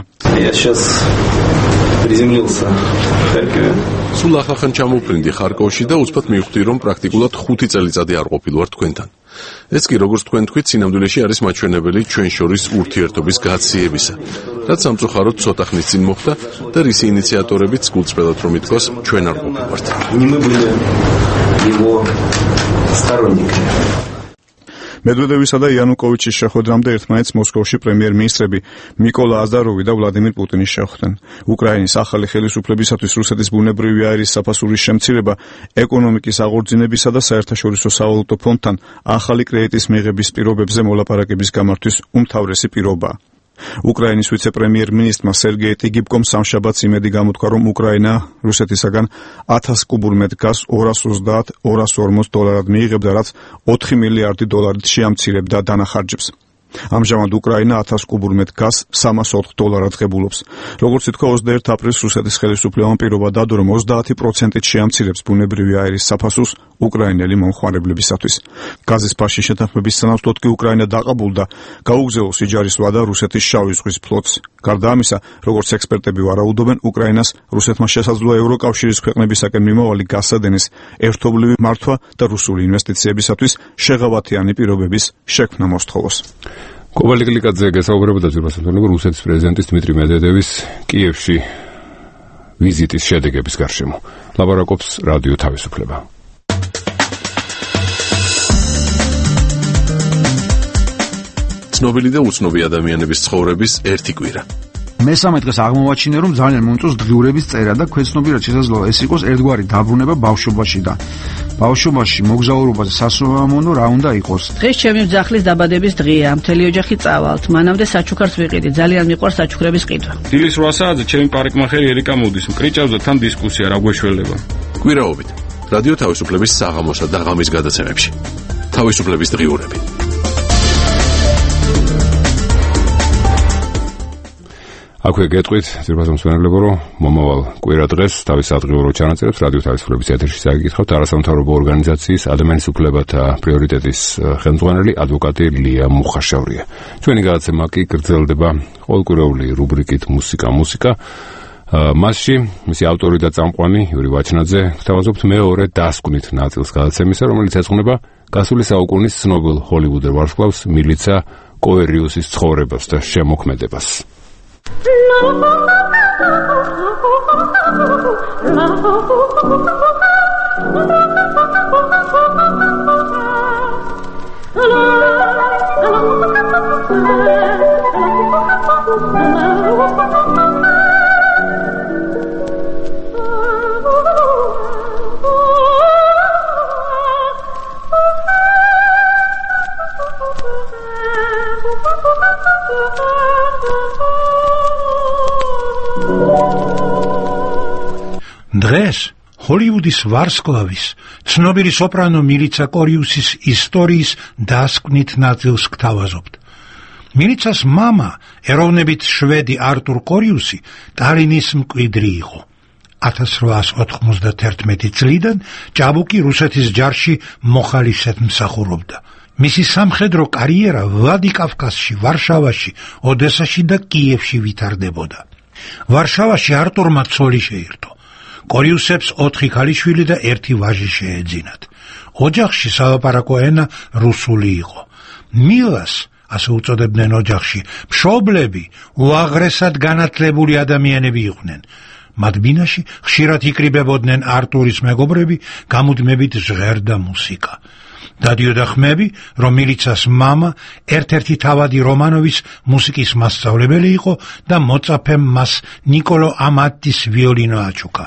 სულ ახალ ჩამოვფრინდი ხარკოვში და უცბად მივხვდი, რომ პრაქტიკულად 5 წელიწადი არ ყოფილვარ თქვენთან. ეს კი, როგორც თქვენ თქვით, სინამდვილეში არის მაჩვენებელი ჩვენ შორის ურთიერთობის გაციებისა, რაც სამწუხაროდ ცოტა ხნის წინ მოხდა და რისი ინიციატორებიც გულწრფელად რომ ითქვას, ჩვენ არ ყოფილვართ. მედვედევისა და იანუკოვიჩის შეხვედრამდე ერთმანეთს მოსკოვში პრემიერ-მინისტრები მიკოლა აზაროვი და ვლადიმირ პუტინი შეხვდნენ. უკრაინის ახალი ხელისუფლებისათვის რუსეთის ბუნებრივი აირის საფასურის შემცირება, ეკონომიკის აღორძინებისა და საერთაშორისო სავალუტო ფონდთან ახალი კრედიტის მიღების პირობებზე მოლაპარაკების გამართვის უმთავრესი პირობაა. უკრაინის ვიცე-პრემიერ-მინისტრმა სერგეი ტიგიპკომ სამშაბათს იმედი გამოთქვა, რომ უკრაინა რუსეთისაგან 1000 კუბურ მეტ გაზს 230-240 დოლარად მიიღებდა, რაც 4 მილიარდი დოლარით შეამცირებდა დანახარჯებს. ამჟამად უკრაინა 1000 კუბურ მეტ გაზს 304 დოლარად ღებულობს. როგორც ითქვა 21 აპრილს რუსეთის ხელისუფლებამ პირობა დადო, რომ 30%-ით შეამცირებს ბუნებრივი აირის საფასურს უკრაინელი მომხმარებლებისათვის. გაზის ფასში შეთანხმების სანაცვლოდ კი უკრაინა დაყაბულდა გაუგზავნოს იჯარის ვადა რუსეთის შავი ზღვის ფლოტს. გარდა ამისა, როგორც ექსპერტები ვარაუდობენ, უკრაინას რუსეთმა შესაძლოა ევროკავშირის ქვეყნებისაკენ მიმავალი გასადენის ერთობლივი მართვა და რუსული ინვესტიციებისათვის შეღავათიანი პირობების შექმნა მოსთხოვოს. კოვალი კლიკაძე გესაუბრებოდა ზურბასათონებო რუსეთის პრეზიდენტის დმიტრი მედვედევის კიევში ვიზიტის შედეგების გარშემო. ლაპარაკობს რადიო თავისუფლება. ცნობილი და უცნობი ადამიანების ცხოვრების ერთი კვირა. მესამე დღეს აღმოვაჩინე, რომ ძალიან მომწონს დღიურების წერა და ქვეცნობიერად შესაძლოა ეს იყოს ერთგვარი დაბრუნება ბავშვობაშიდან. ბავშვობაში მოგზაურობაზე სასურველმონო რა უნდა იყოს. დღეს ჩემი მძახლის დაბადების დღეა. მთელი ოჯახი წავალთ. მანამდე საჩუქარს ვიყიდი. ძალიან მიყვარს საჩუქრების ყიდვა. დილის 8 საათზე ჩემი პარიკმახერი ერიკა მოდის. მკრიჭავდა თან დისკუსია რა გვეშველება. კვირაობით რადიო თავისუფლების საღამოსა და ღამის გადაცემებში. თავისუფლების დღიურები. აქვე გეტყვით, ძირფასო მსმენელებო, რომ მომავალ კვირა დღეს თავის ადგილობრივ ჩანაწერებს რადიო თავისუფლების ეთერში წაგიკითხავთ არასამთავრობო ორგანიზაციის ადამიანის უფლებათა პრიორიტეტის ხელმძღვანელი ადვოკატი ლია მუხაშავრია. ჩვენი გადაცემა კი გრძელდება ყოველკვირეული რუბრიკით მუსიკა. მასში მისი ავტორი და წამყვანი იური ვაჩნაძე გვთავაზობთ მეორე დასკვნით ნაწილს გადაცემისა, რომელიც ეძღვნება გასული საუკუნის ცნობილ ჰოლივუდელ ვარსკვლავს მილიცა კოერიუსის ცხოვრებას და შემოქმედებას. დღეს ჰოლივუდის ვარსკვლავის ცნობილი სოპრანო მილიცა კორიუსის ისტორიის დასკვნით ნაწილს გთავაზობთ. მილიცას მამა, ეროვნებით შვედი არტურ კორიუსი, ტალინის მკვიდრი იყო. 1891 წლიდან ჭაბუკი რუსეთის ჯარში მოხალისედ მსახურობდა. მისი სამხედრო კარიერა ვლადიკავკაზში, ვარშავაში, ოდესაში და კიევში ვითარდებოდა. ვარშავაში არტურმა ცოლი შეირთო. კორიუსებს 4 ქალიშვილი და 1 ვაჟი შეეძინათ. ოჯახში სალაპარაკო ენა რუსული იყო. მილას, ასე უწოდებდნენ ოჯახში, მშობლები უაღრესად განათლებული ადამიანები იყვნენ. მათ ბინაში ხშირად იკრიბებოდნენ არტურის მეგობრები, გამუდმებით ჟღერდა მუსიკა. დადიოდა ხმები, რომ მილიცას მამა ერთ-ერთი თავადი რომანოვის მუსიკის მასწავლებელი იყო და მოწაფემ მას ნიკოლო ამატის ვიოლინო აჩუქა.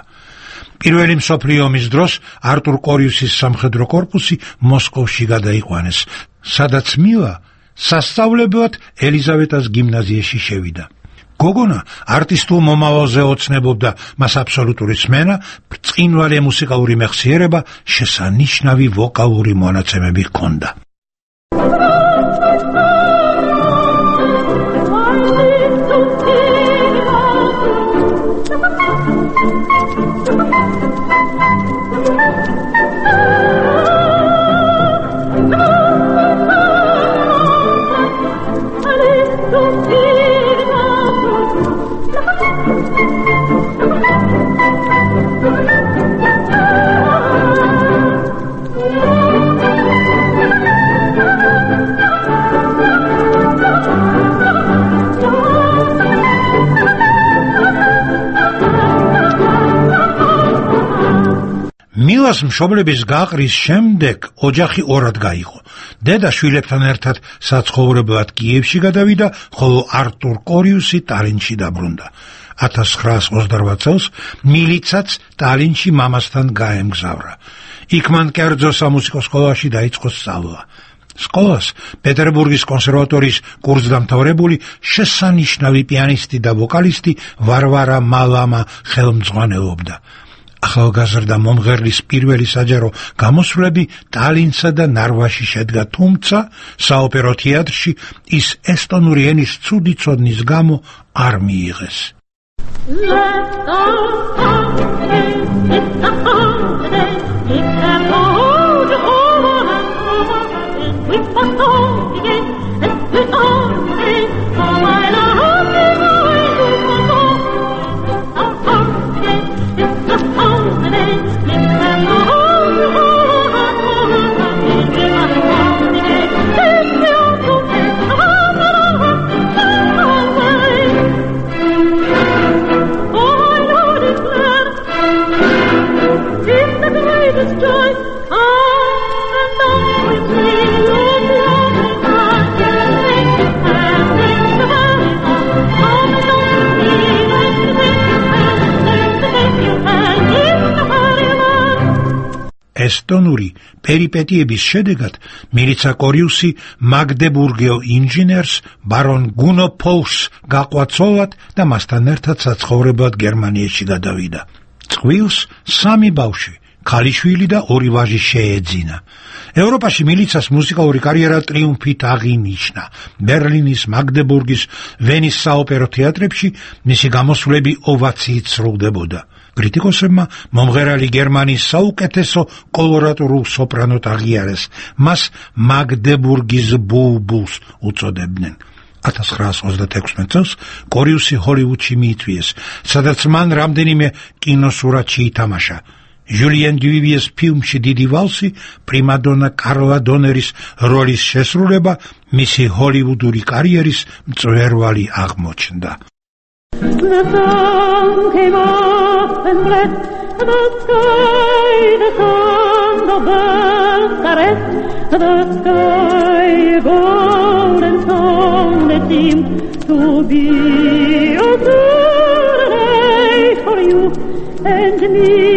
პირველი მსოფლიო ომის დროს არტურ კორიუსის სამხედრო კორპუსი მოსკოვში გადაიყვანეს, სადაც მილა სასწავლებლად ელიზავეტას გიმნაზიაში შევიდა. გოგონა არტისტულ მომავალზე ოცნებობდა, მას აბსოლუტური სმენა, ბრწყინვალე მუსიკალური მეხსიერება, შესანიშნავი ვოკალური მონაცემები ჰქონდა. მილას მშობლების გაყრის შემდეგ ოჯახი ორად გაიყო. დედა შვილებთან ერთად საცხოვრებლად კიევში გადავიდა, ხოლო არტურ კორიუსი ტალინში დაბრუნდა. 1928 წელს მილიცაც ტალინში მამასთან გაემგზავრა. იქ მან კერძო სამუსიკო სკოლაში დაიწყო სწავლა. სკოლას პეტერბურგის კონსერვატორიის კურსდამთავრებული შესანიშნავი პიანისტი და ვოკალისტი ვარვარა მალამა ხელმძღვანელობდა. ახალგაზრდა მომღერლის პირველი საჯარო გამოსვლები ტალინსა და ნარვაში შედგა, თუმცა საოპერო თეატრში ის ესტონური ენის ცუდი ცოდნის გამო არ მიიღეს. ესტონური პერიპეტიების შედეგად მილიცა კორიუსი მაგდებურგელ ინჟინერს ბარონ გუნო ფოლს გაყვა ცოლად და მასთან ერთად საცხოვრებლად გერმანიაში გადავიდა. წყვილს 3 ბავშვი, ქალიშვილი და 2 ვაჟი შეეძინა. ევროპაში მილიცას მუსიკალური კარიერა ტრიუმფით აღინიშნა. ბერლინის, მაგდებურგის, ვენის საოპერო თეატრებში მისი გამოსვლები ოვაციით სრულდებოდა. კრიტიკოსებმა მომღერალი გერმანიის საუკეთესო კოლორატურულ სოპრანოთ აღიარეს. მას მაგდებურგის ბულბულს უწოდებდნენ. 1936 წელს კორიუსი ჰოლივუდში მიიწვიეს, სადაც მან რამდენიმე კინოსურათში ითამაშა. ჟულიან დუვიეს ფილმში დიდი ვალსი პრიმადონა კარლა დონერის როლის შესრულება მისი ჰოლივუდური კარიერის მწვერვალი აღმოჩნდა. The sun came up and blessed the sky, the sun, the birds caressed the sky, a golden song that seemed to be a good day for you and me.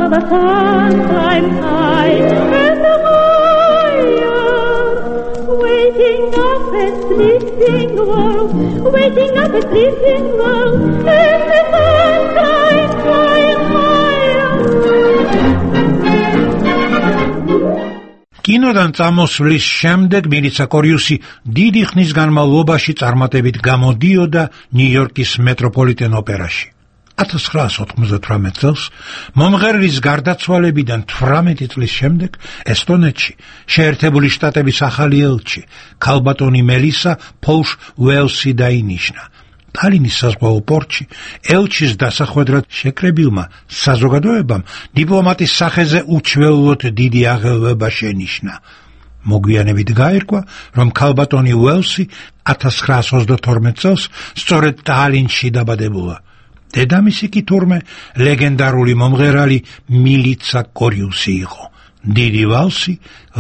The sun climbs high and higher, waking up a sleeping world, waking up a sleeping world, and the sun climbs higher. კინოდან წამოსვლის შემდეგ მილიცა კორიუსი დიდი ხნის განმავლობაში წარმატებით გამოდიოდა ნიუ-იორკის მეტროპოლიტენ ოპერაში. 1998 წელს მომღერლის გარდაცვალებიდან 18 წლის შემდეგ ესტონეთში შეერთებული შტატების ახალი ელჩი ქალბატონი მელისა ფოლშ უელსი დაინიშნა. ტალინის საზღვაო პორტში ელჩის დასახვედრად შეკრებილმა საზოგადოებამ დიპლომატის სახეზე უჩვეულოდ დიდი აღელვება შენიშნა. მოგვიანებით გაირკვა, რომ ქალბატონი უელსი 1922 წელს სწორედ ტალინში დაბადებულა. დედამისი კი თურმე ლეგენდარული მომღერალი მილიცა კორიუსი იყო. დიდი ვალსი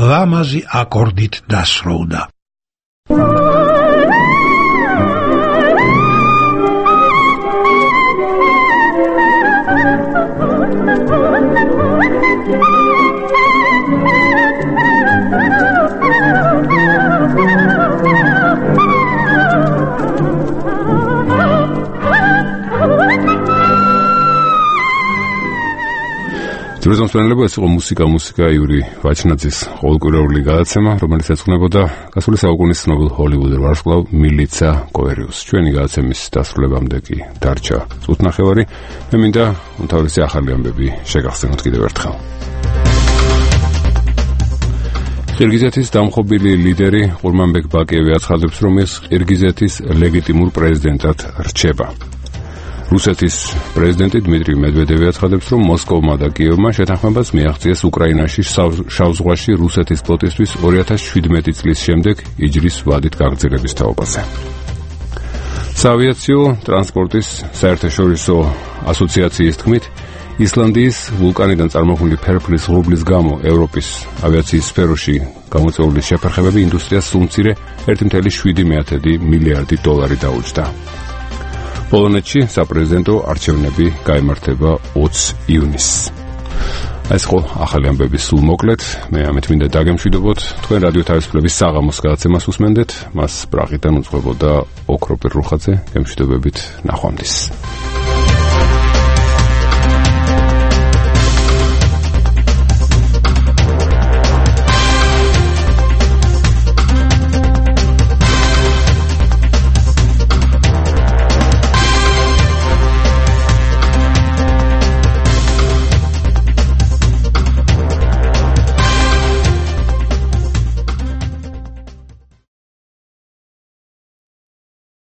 ლამაზი აკორდით დასრულდა. ძიროსამსვენებლება ეს იყო მუსიკა იური ვაჩნაძის ყოველკვირეული გადაცემა, რომელიც ეძღვნებოდა გასული საუკუნის ცნობილ ჰოლივუდურ ვარსკვლავ მილიცა კოერიუსს. ჩვენი გადაცემის დასრულებამდე კი დარჩა წუთნახევარი. მე მინდა უმთავრესი ახალი ამბები შეგახსენოთ კიდევ ერთხელ. ყირგიზეთის დამხობილი ლიდერი ყურმანბეკ ბაკიევი აცხადებს, რომ ის ყირგიზეთის ლეგიტიმურ პრეზიდენტად რჩება. რუსეთის პრეზიდენტი დმიტრი მედვედევი აცხადებს, რომ მოსკოვმა და კიევმა შეთანხმებას მიაღწიეს უკრაინაში შავ ზღვაში რუსეთის ფლოტისთვის 2017 წლის შემდეგ იჯრის ვადით გაგრძელების თაობაზე. საავიაციო ტრანსპორტის საერთაშორისო ასოციაციის თქმით, ისლანდიის ვულკანიდან წარმოქმნილი ფერფლის ღრუბლის გამო ევროპის ავიაციის სფეროში გამოწვეული შეფერხებები ინდუსტრიას სულ მცირე 1.7 მილიარდი დოლარი დაუჯდა. პოლონეთში საპრეზიდენტო არჩევნები გაიმართება 20 ივნისს. ეს იყო ახალი ამბების სულ მოკლედ. მე ამით მინდა დაგემშვიდობოთ. თქვენ რადიო თავისუფლების საღამოს გადაცემას უსმენდეთ. მას პრაღიდან უძღვებოდა ოქროპირ რუხაძე. გემშვიდობებით, ნახვამდის.